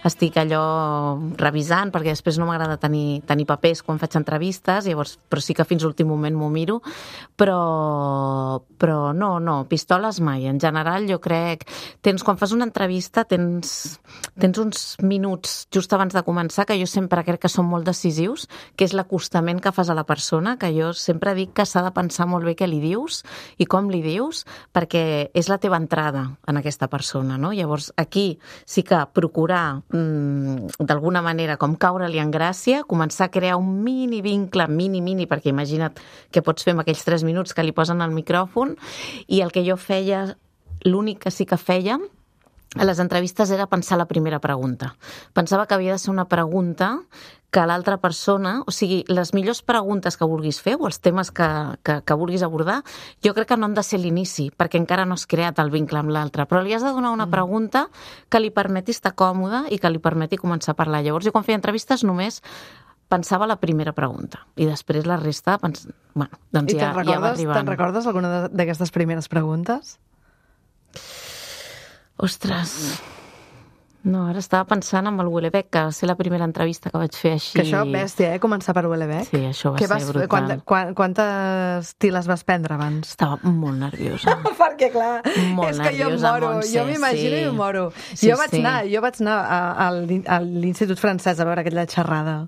estic allò revisant, perquè després no m'agrada tenir, tenir papers quan faig entrevistes, llavors, però sí que fins a l'últim moment m'ho miro, però, però no, no, pistoles mai. En general jo crec, tens, quan fas una entrevista tens, tens uns minuts just abans de començar que jo sempre crec que són molt decisius, que és l'acostament que fas a la persona, que jo sempre dic que s'ha de pensar molt bé què li dius i com li dius, perquè és la teva entrada en aquesta persona, no? Llavors, aquí sí que procurar mmm, d'alguna manera com caure-li en gràcia, començar a crear un mini vincle, mini, mini, perquè imagina't què pots fer amb aquells tres minuts que li posen al micròfon, i el que jo feia, l'únic que sí que feia a les entrevistes era pensar la primera pregunta. Pensava que havia de ser una pregunta que l'altra persona, o sigui, les millors preguntes que vulguis fer o els temes que, que, que vulguis abordar, jo crec que no han de ser l'inici, perquè encara no has creat el vincle amb l'altre, però li has de donar una pregunta que li permeti estar còmode i que li permeti començar a parlar. Llavors, jo quan feia entrevistes només pensava la primera pregunta i després la resta, pens... bueno, doncs I ja, ja va arribant. Te'n recordes alguna d'aquestes primeres preguntes? Ostres... No, ara estava pensant en el Houellebecq, que va ser la primera entrevista que vaig fer així. Que això, bèstia, eh? Començar per Houellebecq. Sí, això va que ser vas, brutal. Quanta, quan, quantes tiles vas prendre abans? Estava molt nerviosa. Perquè, clar, molt és que jo em nerviosa, moro. Montse, Jo m'imagino sí. i em moro. Sí, jo, vaig sí. anar, jo vaig anar a, a, a l'Institut Francès a veure aquella xerrada.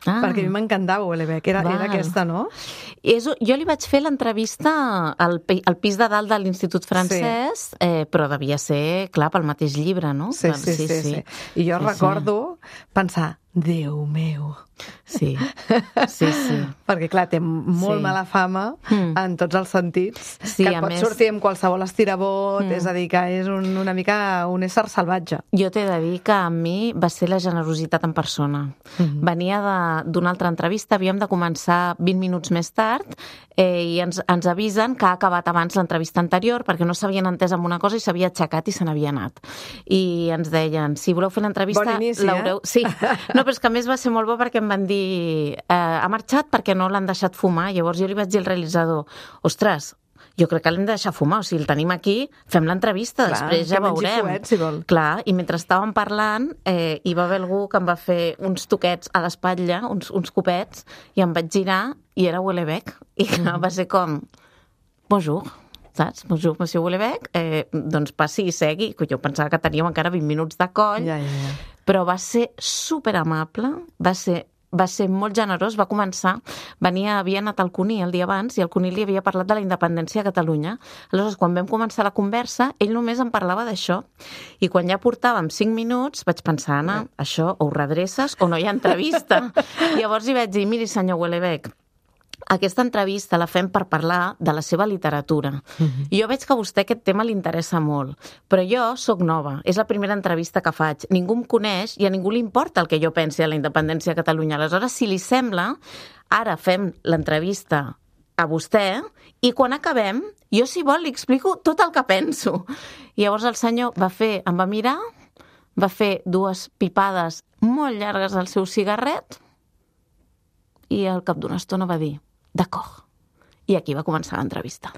Ah. Perquè a mi m'encantava Houellebecq. Era, era aquesta, no? És, jo li vaig fer l'entrevista al, al pis de dalt de l'Institut Francès, sí. eh, però devia ser, clar, pel mateix llibre, no? Sí, sí, sí. sí, sí. sí. I jo sí, recordo sí. pensar, Déu meu... Sí, sí, sí. Perquè, clar, té molt sí. mala fama mm. en tots els sentits, sí, que et pot més... sortir amb qualsevol estirabot, mm. és a dir, que és un, una mica un ésser salvatge. Jo t'he de dir que a mi va ser la generositat en persona. Mm-hmm. Venia d'una altra entrevista, havíem de començar vint minuts més tard eh, i ens, ens avisen que ha acabat abans l'entrevista anterior perquè no s'havien entès amb una cosa i s'havia aixecat i se n'havia anat. I ens deien, si voleu fer l'entrevista... Bon inici, eh? Sí, no, però és que a més va ser molt bo perquè em van dir eh, ha marxat perquè no l'han deixat fumar. Llavors jo li vaig dir al realitzador, ostres, jo crec que l'hem de deixar fumar, o sigui, el tenim aquí, fem l'entrevista, després ja veurem. Fuet, si vol. Clar, i mentre estàvem parlant eh, hi va haver algú que em va fer uns toquets a l'espatlla, uns, uns copets, i em vaig girar i era Houellebecq. I clar, va ser com, bonjour, saps? Bonjour, monsieur Houellebecq, eh, doncs passi i segui. Jo pensava que teníem encara vint minuts de coll, ja, ja, ja. però va ser superamable, va ser va ser molt generós, va començar, venia, havia anat al Cuní el dia abans i el Cuní li havia parlat de la independència a Catalunya. Aleshores, quan vam començar la conversa, ell només em parlava d'això. I quan ja portàvem cinc minuts, vaig pensar, Anna, això o ho redreces o no hi ha entrevista. Llavors hi vaig dir, miri, senyor Houellebecq, aquesta entrevista la fem per parlar de la seva literatura. Mm-hmm. I jo veig que a vostè aquest tema li interessa molt, però jo sóc nova, és la primera entrevista que faig, ningú em coneix i a ningú li importa el que jo pensi de la independència de Catalunya. Aleshores, si li sembla, ara fem l'entrevista a vostè i quan acabem, jo si vol li explico tot el que penso. I llavors el senyor va fer, em va mirar, va fer dues pipades molt llargues al seu cigarret i al cap d'una estona va dir d'acord. I aquí va començar l'entrevista.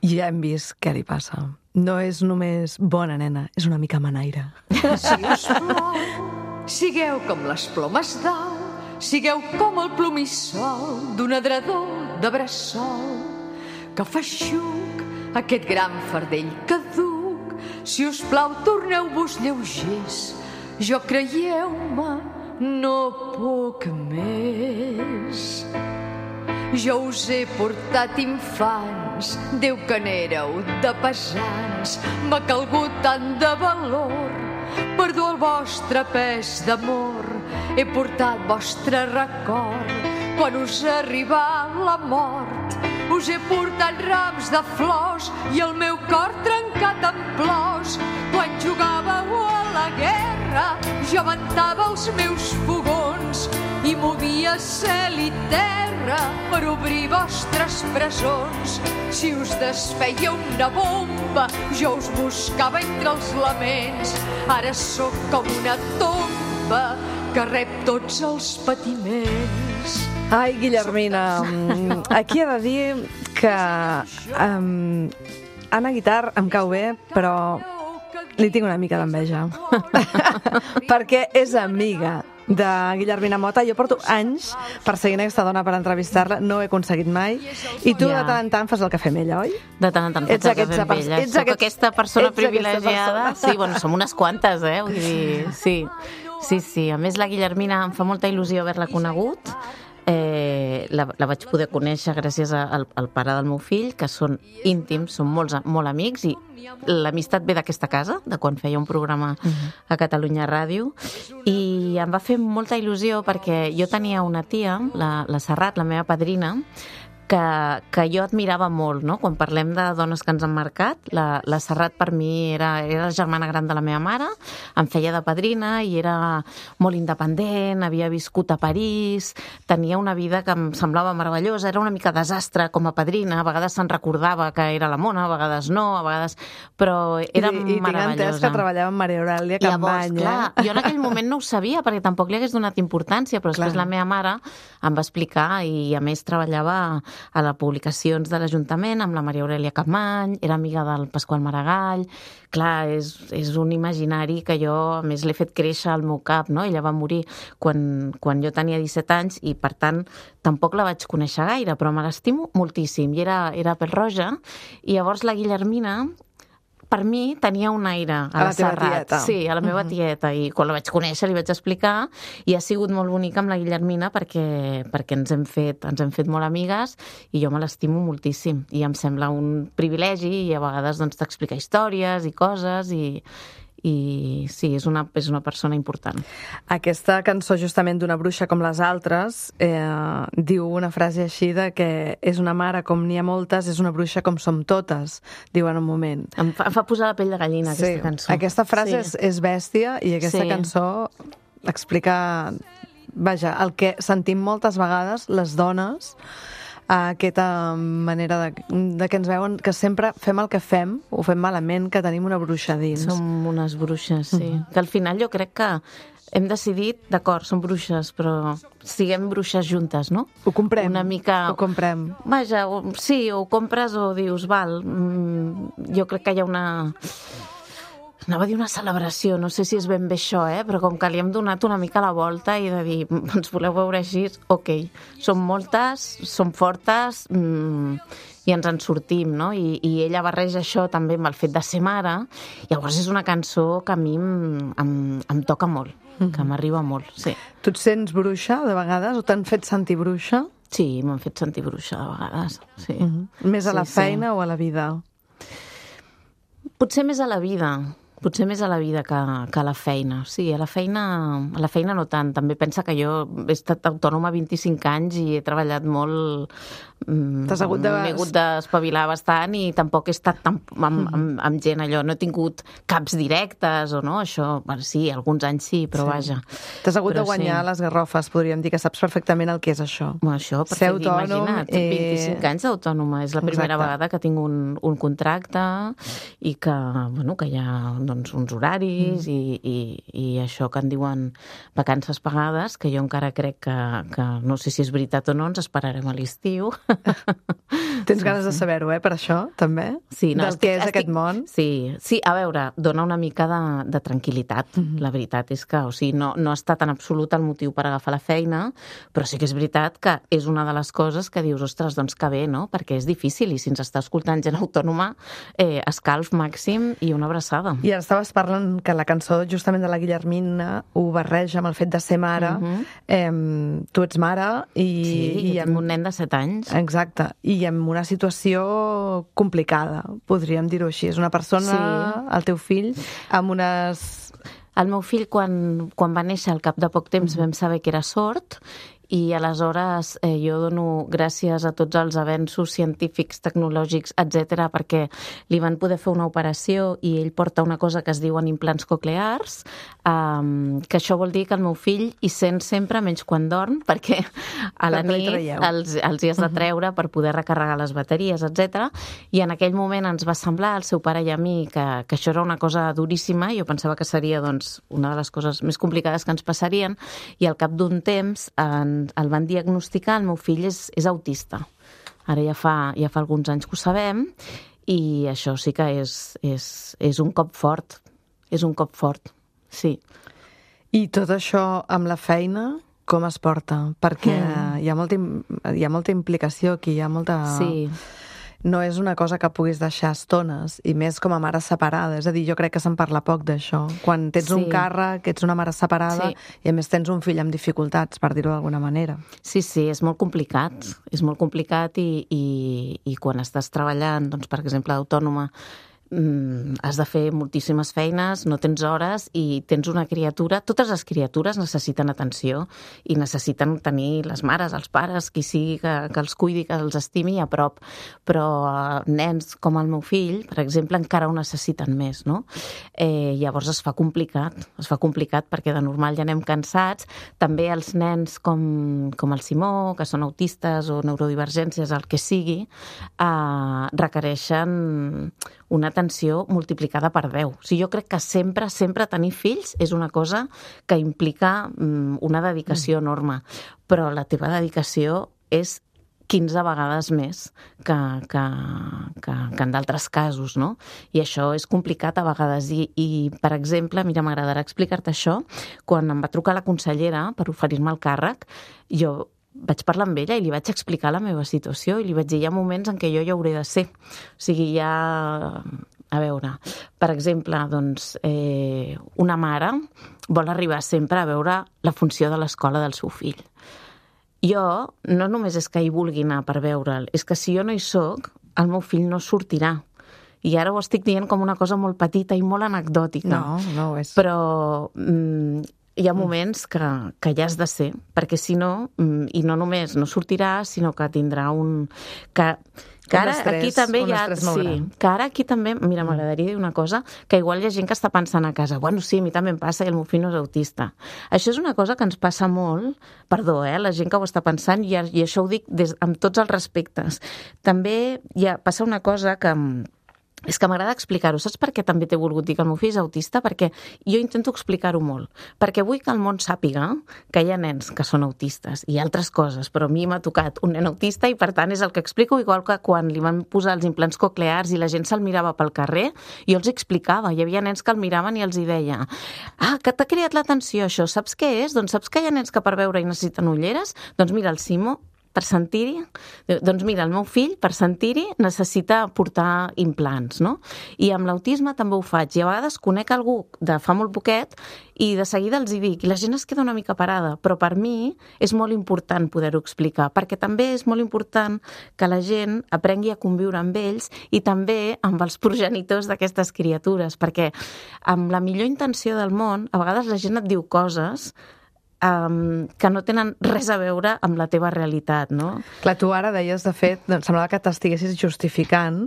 Ja hem vist què li passa. No és només bona nena, és una mica manaire. Si us plou, sigueu com les plomes d'au, sigueu com el plomissol d'un adredor de bressol que fa xuc aquest gran fardell caduc. Si us plau, torneu-vos lleugers. Jo, creieu-me, no puc més. Jo us he portat infants, Déu que n'éreu de pesants. M'ha calgut tant de valor per dur el vostre pes d'amor. He portat vostre record quan us arribà la mort. us he portat rams de flors i el meu cor trencat en plors. Quan jugàveu a la guerra, jo ventava els meus fogons i movia cel i terra per obrir vostres presons. Si us desfeia una bomba, jo us buscava entre els laments. Ara sóc com una tomba que rep tots els patiments. Ai, Guillermina, aquí he de dir que um, Anna Guitar em cau bé, però li tinc una mica d'enveja. Perquè és amiga de Guillermina Mota. Jo porto anys perseguint aquesta dona per entrevistar-la, no ho he aconseguit mai. I tu Ja. de tant en tant fas el cafè amb ella, oi? De tant en tant Ets faig el aquesta cafè amb pers- ella. ets Soc aquest- aquesta persona ets aquesta privilegiada. persona. Sí, bueno, som unes quantes, eh? Vull dir, sí. Sí, sí. A més, la Guillermina em fa molta il·lusió haver-la conegut. Eh, la, la vaig poder conèixer gràcies a, al, al pare del meu fill, que són íntims, són molts, molt amics, i l'amistat ve d'aquesta casa, de quan feia un programa a Catalunya Ràdio, i em va fer molta il·lusió perquè jo tenia una tia, la, la Serrat, la meva padrina, que, que jo admirava molt, no? Quan parlem de dones que ens han marcat, la, la Serrat per mi era, era la germana gran de la meva mare, em feia de padrina i era molt independent, havia viscut a París, tenia una vida que em semblava meravellosa, era una mica desastre com a padrina, a vegades se'n recordava que era la mona, a vegades no, a vegades... però era I, i tinc meravellosa. entès que treballava amb Maria Aurèlia Capmany. Llavors, clar, eh? jo en aquell moment no ho sabia perquè tampoc li hagués donat importància, però després Clar. la meva mare em va explicar i a més treballava a les publicacions de l'Ajuntament amb la Maria Aurèlia Capmany, era amiga del Pasqual Maragall. Clar, és, és un imaginari que jo, a més, l'he fet créixer al meu cap, no? Ella va morir quan, quan jo tenia disset anys i, per tant, tampoc la vaig conèixer gaire, però me l'estimo moltíssim i era, era pèl-roja. I llavors la Guillermina, per mi, tenia un aire a, A la la teva Serrat. tieta. Sí, a la meva tieta. I quan la vaig conèixer li vaig explicar i ha sigut molt bonica amb la Guillermina perquè, perquè ens hem fet, ens hem fet molt amigues i jo me l'estimo moltíssim. I em sembla un privilegi i a vegades doncs, t'explica històries i coses i, i sí, és una, és una persona important. Aquesta cançó, justament d'Una bruixa com les altres, eh, diu una frase així de que és una mare com n'hi ha moltes, és una bruixa com som totes, diu en un moment. Em fa, em fa posar la pell de gallina, Sí, aquesta cançó. aquesta frase Sí. és, és bèstia i aquesta Sí. cançó explica, vaja, el que sentim moltes vegades les dones, aquesta manera de, de que ens veuen que sempre fem el que fem, ho fem malament, que tenim una bruixa dins. Som unes bruixes, sí. Mm-hmm. Que al final jo crec que hem decidit, d'acord, som bruixes, però siguem bruixes juntes, no? Ho comprem, Una mica... ho comprem. Vaja, o, sí, o ho compres o dius, val, mm, jo crec que hi ha una... Anava a dir una celebració, no sé si és ben bé això, eh? Però com que li hem donat una mica la volta i de dir, ens voleu veure així, ok, som moltes, som fortes mmm, i ens en sortim, no? I, i ella barreja això també amb el fet de ser mare, llavors és una cançó que a mi em, em, em toca molt, mm-hmm. que m'arriba molt, sí. Tu et sents bruixa, de vegades, o t'han fet sentir bruixa? Sí, m'han fet sentir bruixa de vegades, sí. Mm-hmm. Més a la Sí, feina sí. o a la vida? Potser més a la vida, potser més a la vida que, que a la feina. Sí, a la feina, a la feina no tant. També pensa que jo he estat autònoma vint-i-cinc anys i he treballat molt... T'has hagut de... M'he hagut d'espavilar bastant i tampoc he estat tan, amb, amb, amb gent allò. No he tingut caps directes o no, això... Bueno, sí, alguns anys sí, però Sí. vaja. T'has hagut Però de guanyar sí. les garrofes, podríem dir, que saps perfectament el que és això. Bueno, això, per Ser ser autònom, imagina't, eh, vint-i-cinc anys d'autònoma. És la primera Exacte. vegada que tinc un, un contracte i que, bueno, que hi ha doncs, uns horaris mm. i, i, i això que en diuen vacances pagades, que jo encara crec que, que no sé si és veritat o no, ens esperarem a l'estiu. Tens ganes de saber-ho, eh, per això, també? Sí, no, Del estic, que és estic, aquest món? Sí, sí, a veure, dona una mica de, de tranquil·litat. Mm-hmm. La veritat és que, o sigui, no, no ha estat en absolut el motiu per agafar la feina, però sí que és veritat que és una de les coses que dius, ostres, doncs que bé, no? Perquè és difícil i si ens està escoltant gent autònoma, eh, escalf màxim i una abraçada. I ara estaves parlant que la cançó justament de la Guillermina ho barreja amb el fet de ser mare. Mhm. eh, tu ets mare i... Sí, i jo tinc un nen de set anys. Exacte, i amb una situació complicada, podríem dir-ho així. És una persona, Sí. el teu fill, amb unes... El meu fill, quan, quan va néixer, al cap de poc temps, vam saber que era sord i aleshores eh, jo dono gràcies a tots els avenços científics, tecnològics, etcètera, perquè li van poder fer una operació i ell porta una cosa que es diuen implants coclears, um, que això vol dir que el meu fill hi sent sempre menys quan dorm, perquè a la nit els, els hi has de treure per poder recarregar les bateries, etcètera. I en aquell moment ens va semblar, al seu pare i a mi, que, que això era una cosa duríssima. Jo pensava que seria doncs, una de les coses més complicades que ens passarien, i al cap d'un temps en el van diagnosticar, el meu fill és, és autista. Ara ja fa, ja fa alguns anys que ho sabem, i això sí que és, és, és un cop fort. És un cop fort, sí. I tot això amb la feina, com es porta? Perquè mm. hi ha molta, hi ha molta implicació aquí, hi ha molta... Sí. No és una cosa que puguis deixar estones, i més com a mare separada. És a dir, jo crec que se'n parla poc d'això. Quan tens sí. un càrrec, ets una mare separada, sí. i a més tens un fill amb dificultats, per dir-ho d'alguna manera. Sí, sí, és molt complicat. És molt complicat i, i, i quan estàs treballant, doncs, per exemple, d'autònoma, has de fer moltíssimes feines, no tens hores i tens una criatura. Totes les criatures necessiten atenció i necessiten tenir les mares, els pares, qui sigui que, que els cuidi, que els estimi a prop. Però uh, nens com el meu fill, per exemple, encara ho necessiten més, no? Eh, llavors es fa complicat, es fa complicat perquè de normal ja anem cansats. També els nens com, com el Simó, que són autistes o neurodivergències, el que sigui, eh, requereixen una atenció multiplicada per deu. O sigui, jo crec que sempre, sempre tenir fills és una cosa que implica um, una dedicació enorme, però la teva dedicació és quinze vegades més que, que, que, que en d'altres casos, no? I això és complicat a vegades. I, i per exemple, mira, m'agradarà explicar-te això, quan em va trucar la consellera per oferir-me el càrrec, jo vaig parlar amb ella i li vaig explicar la meva situació i li vaig dir, hi ha moments en què jo ja hauré de ser. O sigui, ja... A veure, per exemple, doncs, eh, una mare vol arribar sempre a veure la funció de l'escola del seu fill. Jo no només és que hi vulgui anar per veure'l, és que si jo no hi soc, el meu fill no sortirà. I ara ho estic dient com una cosa molt petita i molt anecdòtica. No, no ho és. Però... Mm, hi ha moments que, que ja has de ser, perquè si no, i no només no sortirà, sinó que tindrà un... Que, que ara estrès, aquí també hi ha... Sí, que ara aquí també, mira, m'agradaria dir una cosa, que igual hi ha gent que està pensant a casa, bueno, sí, a mi també em passa i el meu fill no és autista. Això és una cosa que ens passa molt, perdó, eh, la gent que ho està pensant, i, i això ho dic des, amb tots els respectes. També hi ha, passa una cosa que... És que m'agrada explicar-ho. Saps per què també t'he volgut dir que el meu fill és autista? Perquè jo intento explicar-ho molt. Perquè vull que el món sàpiga que hi ha nens que són autistes i altres coses, però a mi m'ha tocat un nen autista i, per tant, és el que explico, igual que quan li van posar els implants coclears i la gent se'l mirava pel carrer, jo els explicava. Hi havia nens que el miraven i els hi deia, ah, que t'ha cridat l'atenció això, saps què és? Doncs saps que hi ha nens que per veure i necessiten ulleres? Doncs mira, el Simo, per sentir-hi, doncs mira, el meu fill, per sentir-hi, necessita portar implants, no? I amb l'autisme també ho faig. I a vegades conec algú de fa molt poquet i de seguida els hi dic, i la gent es queda una mica parada, però per mi és molt important poder-ho explicar, perquè també és molt important que la gent aprengui a conviure amb ells i també amb els progenitors d'aquestes criatures, perquè amb la millor intenció del món, a vegades la gent et diu coses Um, que no tenen res a veure amb la teva realitat, no? Clar, tu ara deies, de fet, doncs, semblava que t'estiguessis justificant,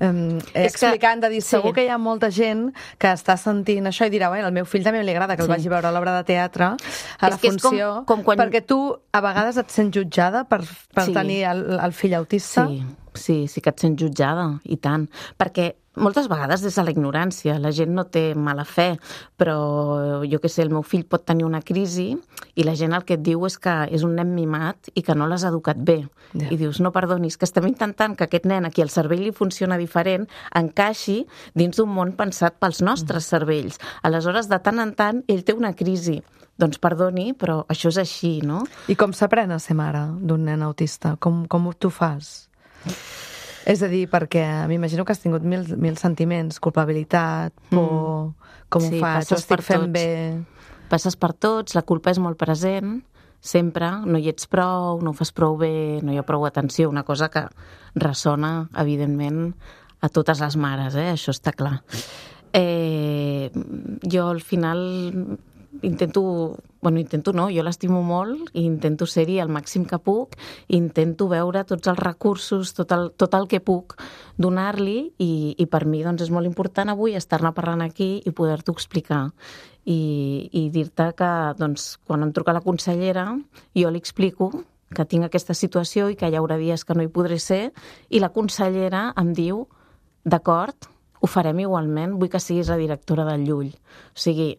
um, explicant, que, de dir, segur sí. que hi ha molta gent que està sentint això i dirà, bueno, al meu fill també li agrada que el sí. vagi a veure a l'obra de teatre, a és la funció, com, com quan... perquè tu a vegades et sents jutjada per, per sí. tenir el, el fill autista. Sí, sí, sí que et sents jutjada, i tant, perquè moltes vegades des de la ignorància, la gent no té mala fe, però jo què sé, el meu fill pot tenir una crisi i la gent el que et diu és que és un nen mimat i que no l'has educat bé. Yeah. I dius, no perdonis, que estem intentant que aquest nen a qui el cervell li funciona diferent encaixi dins d'un món pensat pels nostres mm. cervells. Aleshores, de tant en tant, ell té una crisi. Doncs perdoni, però això és així, no? I com s'aprèn a ser mare d'un nen autista? Com, com tu fas? És a dir, perquè m'imagino que has tingut mil, mil sentiments, culpabilitat, por, mm. com sí, ho faig, ho estic fent tots. bé... Passes per tots, la culpa és molt present, sempre, no hi ets prou, no ho fas prou bé, no hi ha prou atenció, una cosa que ressona, evidentment, a totes les mares, eh? Això està clar. Eh, jo, al final, intento bueno, intento no, jo l'estimo molt i intento ser-hi el màxim que puc, intento veure tots els recursos, tot el, tot el que puc donar-li i, i per mi doncs, és molt important avui estar-ne parlant aquí i poder-t'ho explicar. I, i dir-te que doncs, quan em truca la consellera jo li explico que tinc aquesta situació i que hi haurà dies que no hi podré ser i la consellera em diu d'acord, ho farem igualment, vull que siguis la directora del Llull. O sigui,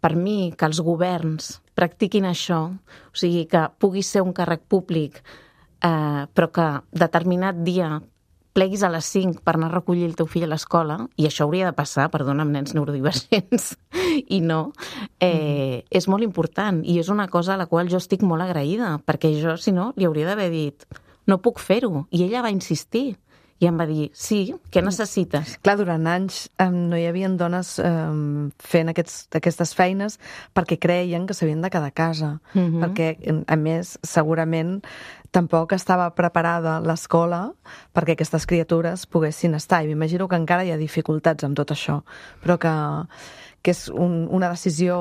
per mi, que els governs practiquin això, o sigui, que pugui ser un càrrec públic, eh, però que determinat dia pleguis a les cinc per anar a recollir el teu fill a l'escola, i això hauria de passar, perdona, amb nens neurodivergents, i no, eh, mm. és molt important, i és una cosa a la qual jo estic molt agraïda, perquè jo, si no, li hauria d'haver dit no puc fer-ho, i ella va insistir, i em va dir, sí, què necessites? Clar, durant anys eh, no hi havia dones eh, fent aquests, aquestes feines perquè creien que s'havien de quedar a casa. Mm-hmm. Perquè, a més, segurament tampoc estava preparada l'escola perquè aquestes criatures poguessin estar. I m'imagino que encara hi ha dificultats amb tot això, però que, que és un, una decisió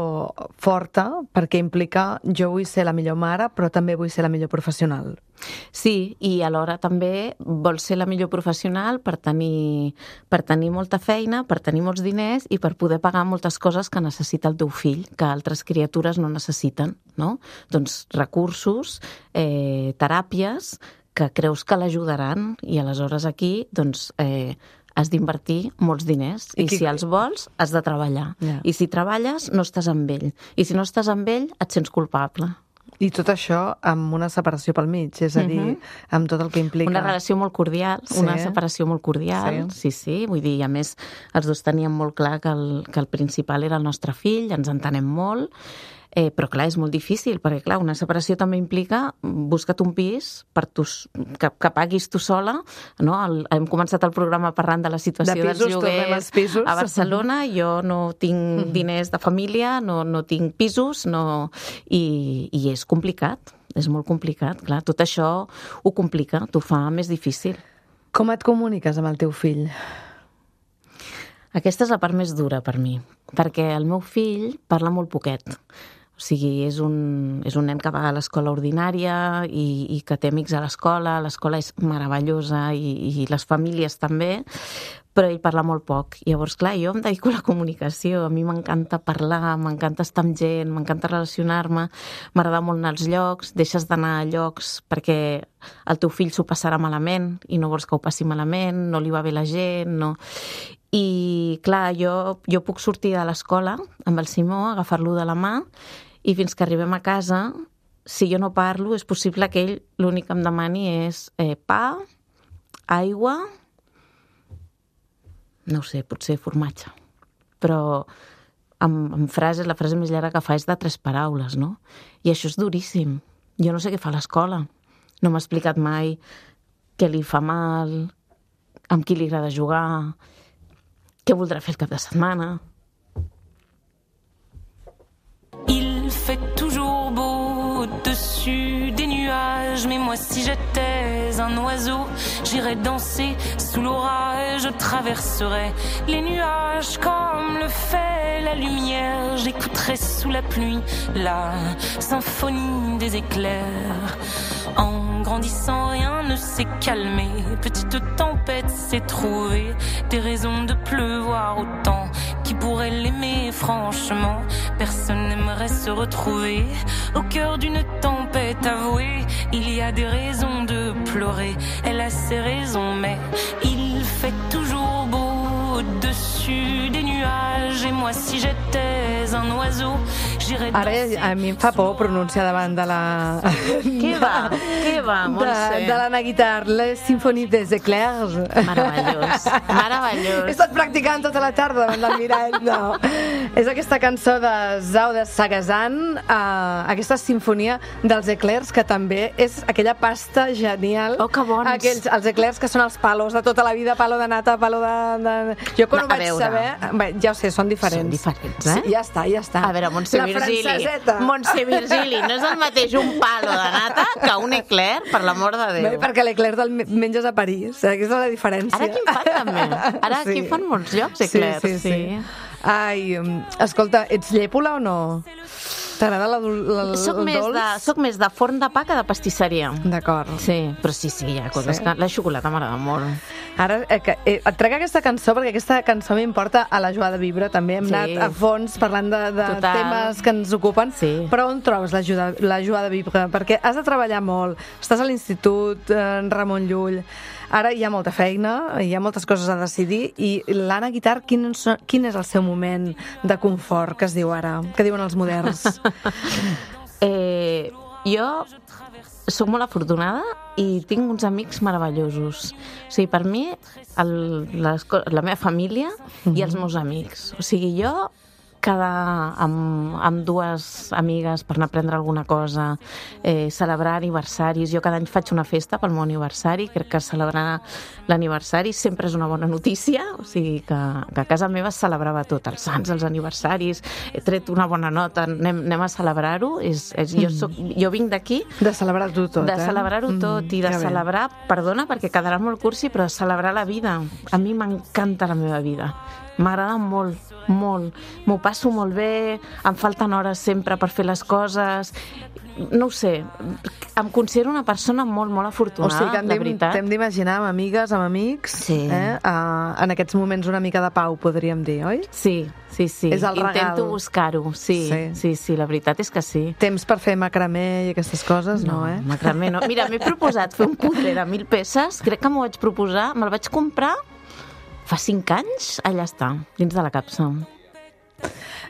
forta perquè implica jo vull ser la millor mare, però també vull ser la millor professional. Sí, i alhora també vols ser la millor professional per tenir, per tenir molta feina, per tenir molts diners i per poder pagar moltes coses que necessita el teu fill, que altres criatures no necessiten, no? Doncs recursos, eh, teràpies, que creus que l'ajudaran i aleshores aquí, doncs, eh, has d'invertir molts diners i, I qui... si els vols, has de treballar. Yeah. I si treballes, no estàs amb ell. I si no estàs amb ell, et sents culpable. I tot això amb una separació pel mig, és a dir, uh-huh. amb tot el que implica... Una relació molt cordial, sí. una separació molt cordial, sí. sí, sí, vull dir, a més, els dos teníem molt clar que el, que el principal era el nostre fill, ens entenem molt, eh, però clar, és molt difícil, perquè clar, una separació també implica busca't un pis per tu, que, que paguis tu sola, no? El, hem començat el programa parlant de la situació de pisos, dels lloguers a Barcelona, jo no tinc mm-hmm. diners de família, no, no tinc pisos, no... I, i és complicat, és molt complicat, clar, tot això ho complica, t'ho fa més difícil. Com et comuniques amb el teu fill? Aquesta és la part més dura per mi, perquè el meu fill parla molt poquet. O sigui, és un, és un nen que va a l'escola ordinària i, i que té amics a l'escola, l'escola és meravellosa i, i les famílies també, però ell parla molt poc. Llavors, clar, jo em dedico a la comunicació, a mi m'encanta parlar, m'encanta estar amb gent, m'encanta relacionar-me, m'agrada molt anar als llocs, deixes d'anar a llocs perquè el teu fill s'ho passarà malament i no vols que ho passi malament, no li va bé la gent, no... I, clar, jo, jo puc sortir de l'escola amb el Simó, agafar-lo de la mà, i fins que arribem a casa, si jo no parlo, és possible que ell l'únic que em demani és eh, pa, aigua, no ho sé, potser formatge. Però amb, amb frases, la frase més llarga que fa és de tres paraules, no? I això és duríssim. Jo no sé què fa a l'escola. No m'ha explicat mai què li fa mal, amb qui li agrada jugar, què voldrà fer el cap de setmana. Il fait toujours beau au-dessus des nuages, mais moi si j'étais un oiseau, j'irais danser sous l'orage, je traverserais les nuages comme le fait la lumière, j'écouterais sous la pluie la symphonie des éclairs. En grandissant, rien ne s'est calmé. Petite tempête s'est trouvée des raisons de pleuvoir autant. Qui pourrait l'aimer, franchement? Personne n'aimerait se retrouver au cœur d'une tempête avouée. Il y a des raisons de pleurer. Elle a ses raisons, mais il fait toujours beau au-dessus des nuages. Et moi, si j'étais un oiseau, j'irais danser... Ara a mi em fa por pronunciar davant de la... Què va? Què va, Montse? De, de l'Anna Guitart, la Symphonie des Éclairs. Meravellós, meravellós. He estat practicant tota la tarda davant del mirall, no. És aquesta cançó de Zao de Sagazan, uh, aquesta sinfonia dels eclairs, que també és aquella pasta genial. Oh, que bons. Aquells, els eclairs que són els palos de tota la vida, palo de nata, palo de... de... Jo quan no, ho vaig veure. saber... Bé, ja ho sé, són diferents. Són diferents, eh? Sí, ja està, ja està. A veure, Montse Virgili, Montse Virgili, no és el mateix un palo de nata que un eclair, per l'amor de Déu. Bé, perquè l'eclair del menges a París, aquesta és la diferència. Ara aquí en fan també. Ara aquí sí. fan molts llocs eclairs. Sí, sí, sí. sí. Ai, escolta, ets llèpola o no? T'agrada la, la, la, Soc el més, dolç? de, soc més de forn de pa que de pastisseria. D'acord. Sí, però sí, sí, hi ha coses Sí. que... La xocolata m'agrada molt. Ara eh, que, eh, et trec aquesta cançó perquè aquesta cançó m'importa a la Joa de Vibra. També hem Sí. anat a fons parlant de, de Total. temes que ens ocupen. Sí. Però on trobes la, Joa- la Joa de Vibra? Perquè has de treballar molt. Estàs a l'institut, en Ramon Llull. Ara hi ha molta feina, hi ha moltes coses a decidir. I l'Anna Guitar, quin, són- quin és el seu moment de confort, que es diu ara? Que diuen els moderns? Eh, jo sóc molt afortunada i tinc uns amics meravellosos. O sigui, per mi, el, les, co- la meva família i els meus amics. O sigui, jo quedar amb, amb dues amigues per anar a prendre alguna cosa, eh, celebrar aniversaris. Jo cada any faig una festa pel meu aniversari, crec que celebrar l'aniversari sempre és una bona notícia, o sigui que, que a casa meva es celebrava tot, els sants, els aniversaris, he tret una bona nota, anem, anem a celebrar-ho. És, és, jo, soc, jo vinc d'aquí De celebrar-ho tot, de eh? celebrar-ho tot i de que bé. celebrar, perdona, perquè quedarà molt cursi, però de celebrar la vida. A mi m'encanta la meva vida. M'agrada molt, molt. M'ho passo molt bé, em falten hores sempre per fer les coses. No ho sé, em considero una persona molt, molt O afortunada, sigui que la hem veritat. t'hem d'imaginar amb amigues, amb amics, Sí. eh? Uh, en aquests moments una mica de pau, podríem dir, oi? Sí, sí, sí. És el regal. Intento buscar-ho, sí, Sí. sí, sí, sí, la veritat és que sí. Temps per fer macramé i aquestes coses, no, eh? Macramé no. Mira, m'he proposat fer un puzzle de mil peces, crec que m'ho vaig proposar, me'l vaig comprar fa cinc anys, allà està, dins de la capsa.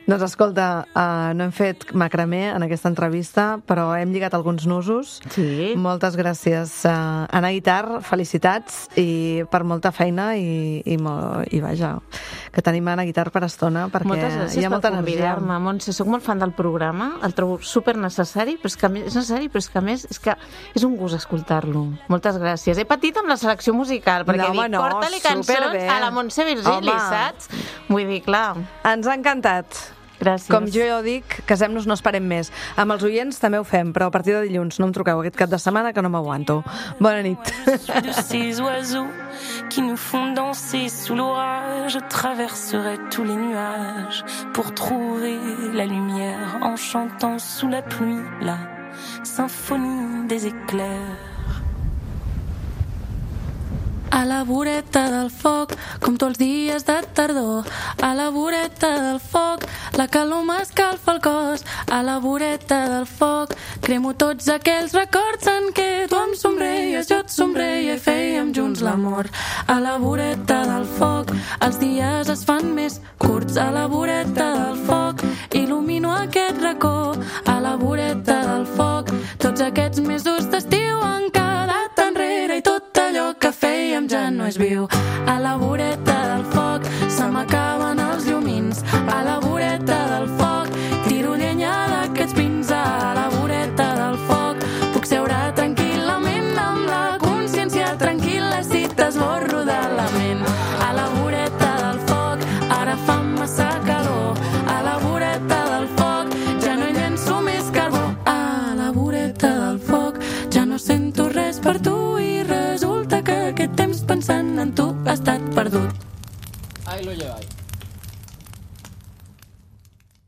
Doncs escolta, uh, no hem fet macramé en aquesta entrevista, però hem lligat alguns nusos. Sí. Moltes gràcies. Uh, Anna Guitar, felicitats i per molta feina i, i, mo, i vaja, que tenim Anna Guitar per estona perquè Moltes gràcies hi ha molta per energia. convidar-me, Montse. Soc molt fan del programa, el trobo super necessari, però és que a més, és necessari, però és que a més és que és un gust escoltar-lo. Moltes gràcies. He patit amb la selecció musical, perquè No, home, dic, no, porta-li cançons superbé. a la Montse Virgili, Home. saps? Vull dir, clar, Ens ha encantat. gràcies. Com jo ja dic, casem-nos, no esperem més. Amb els oients també ho fem, però a partir de dilluns no em truqueu aquest cap de setmana que no m'aguanto. Bona nit. De ces oiseaux qui nous font danser sous l'orage, je traverserai tous les nuages pour trouver la lumière en chantant sous la pluie la symphonie des éclairs. A la voreta del foc, com tots els dies de tardor. A la voreta del foc, la calor m'escalfa el cos. A la voreta del foc, cremo tots aquells records en què tu em somreies, jo et somreia i fèiem junts l'amor. A la voreta del foc, els dies es fan més curts. A la voreta del foc, il·lumino aquest racó. A la voreta del foc, tots aquests mesos d'estiu han quedat enrere i tot allò que fèiem ja no és viu. A la voreta del foc se m'acaben els llumins. A la voreta del foc tiro llenya d'aquests pins. A la voreta del foc puc seure tranquil·lament amb la consciència tranquil·la si t'esborro de la ment. A la voreta del foc ara fa massa calor. A la voreta del foc ja no hi llenço més carbó. A la voreta del foc ja no sento res per tu i resulta que aquest temps pensant en tu ha estat perdut. Ahí lo lleváis.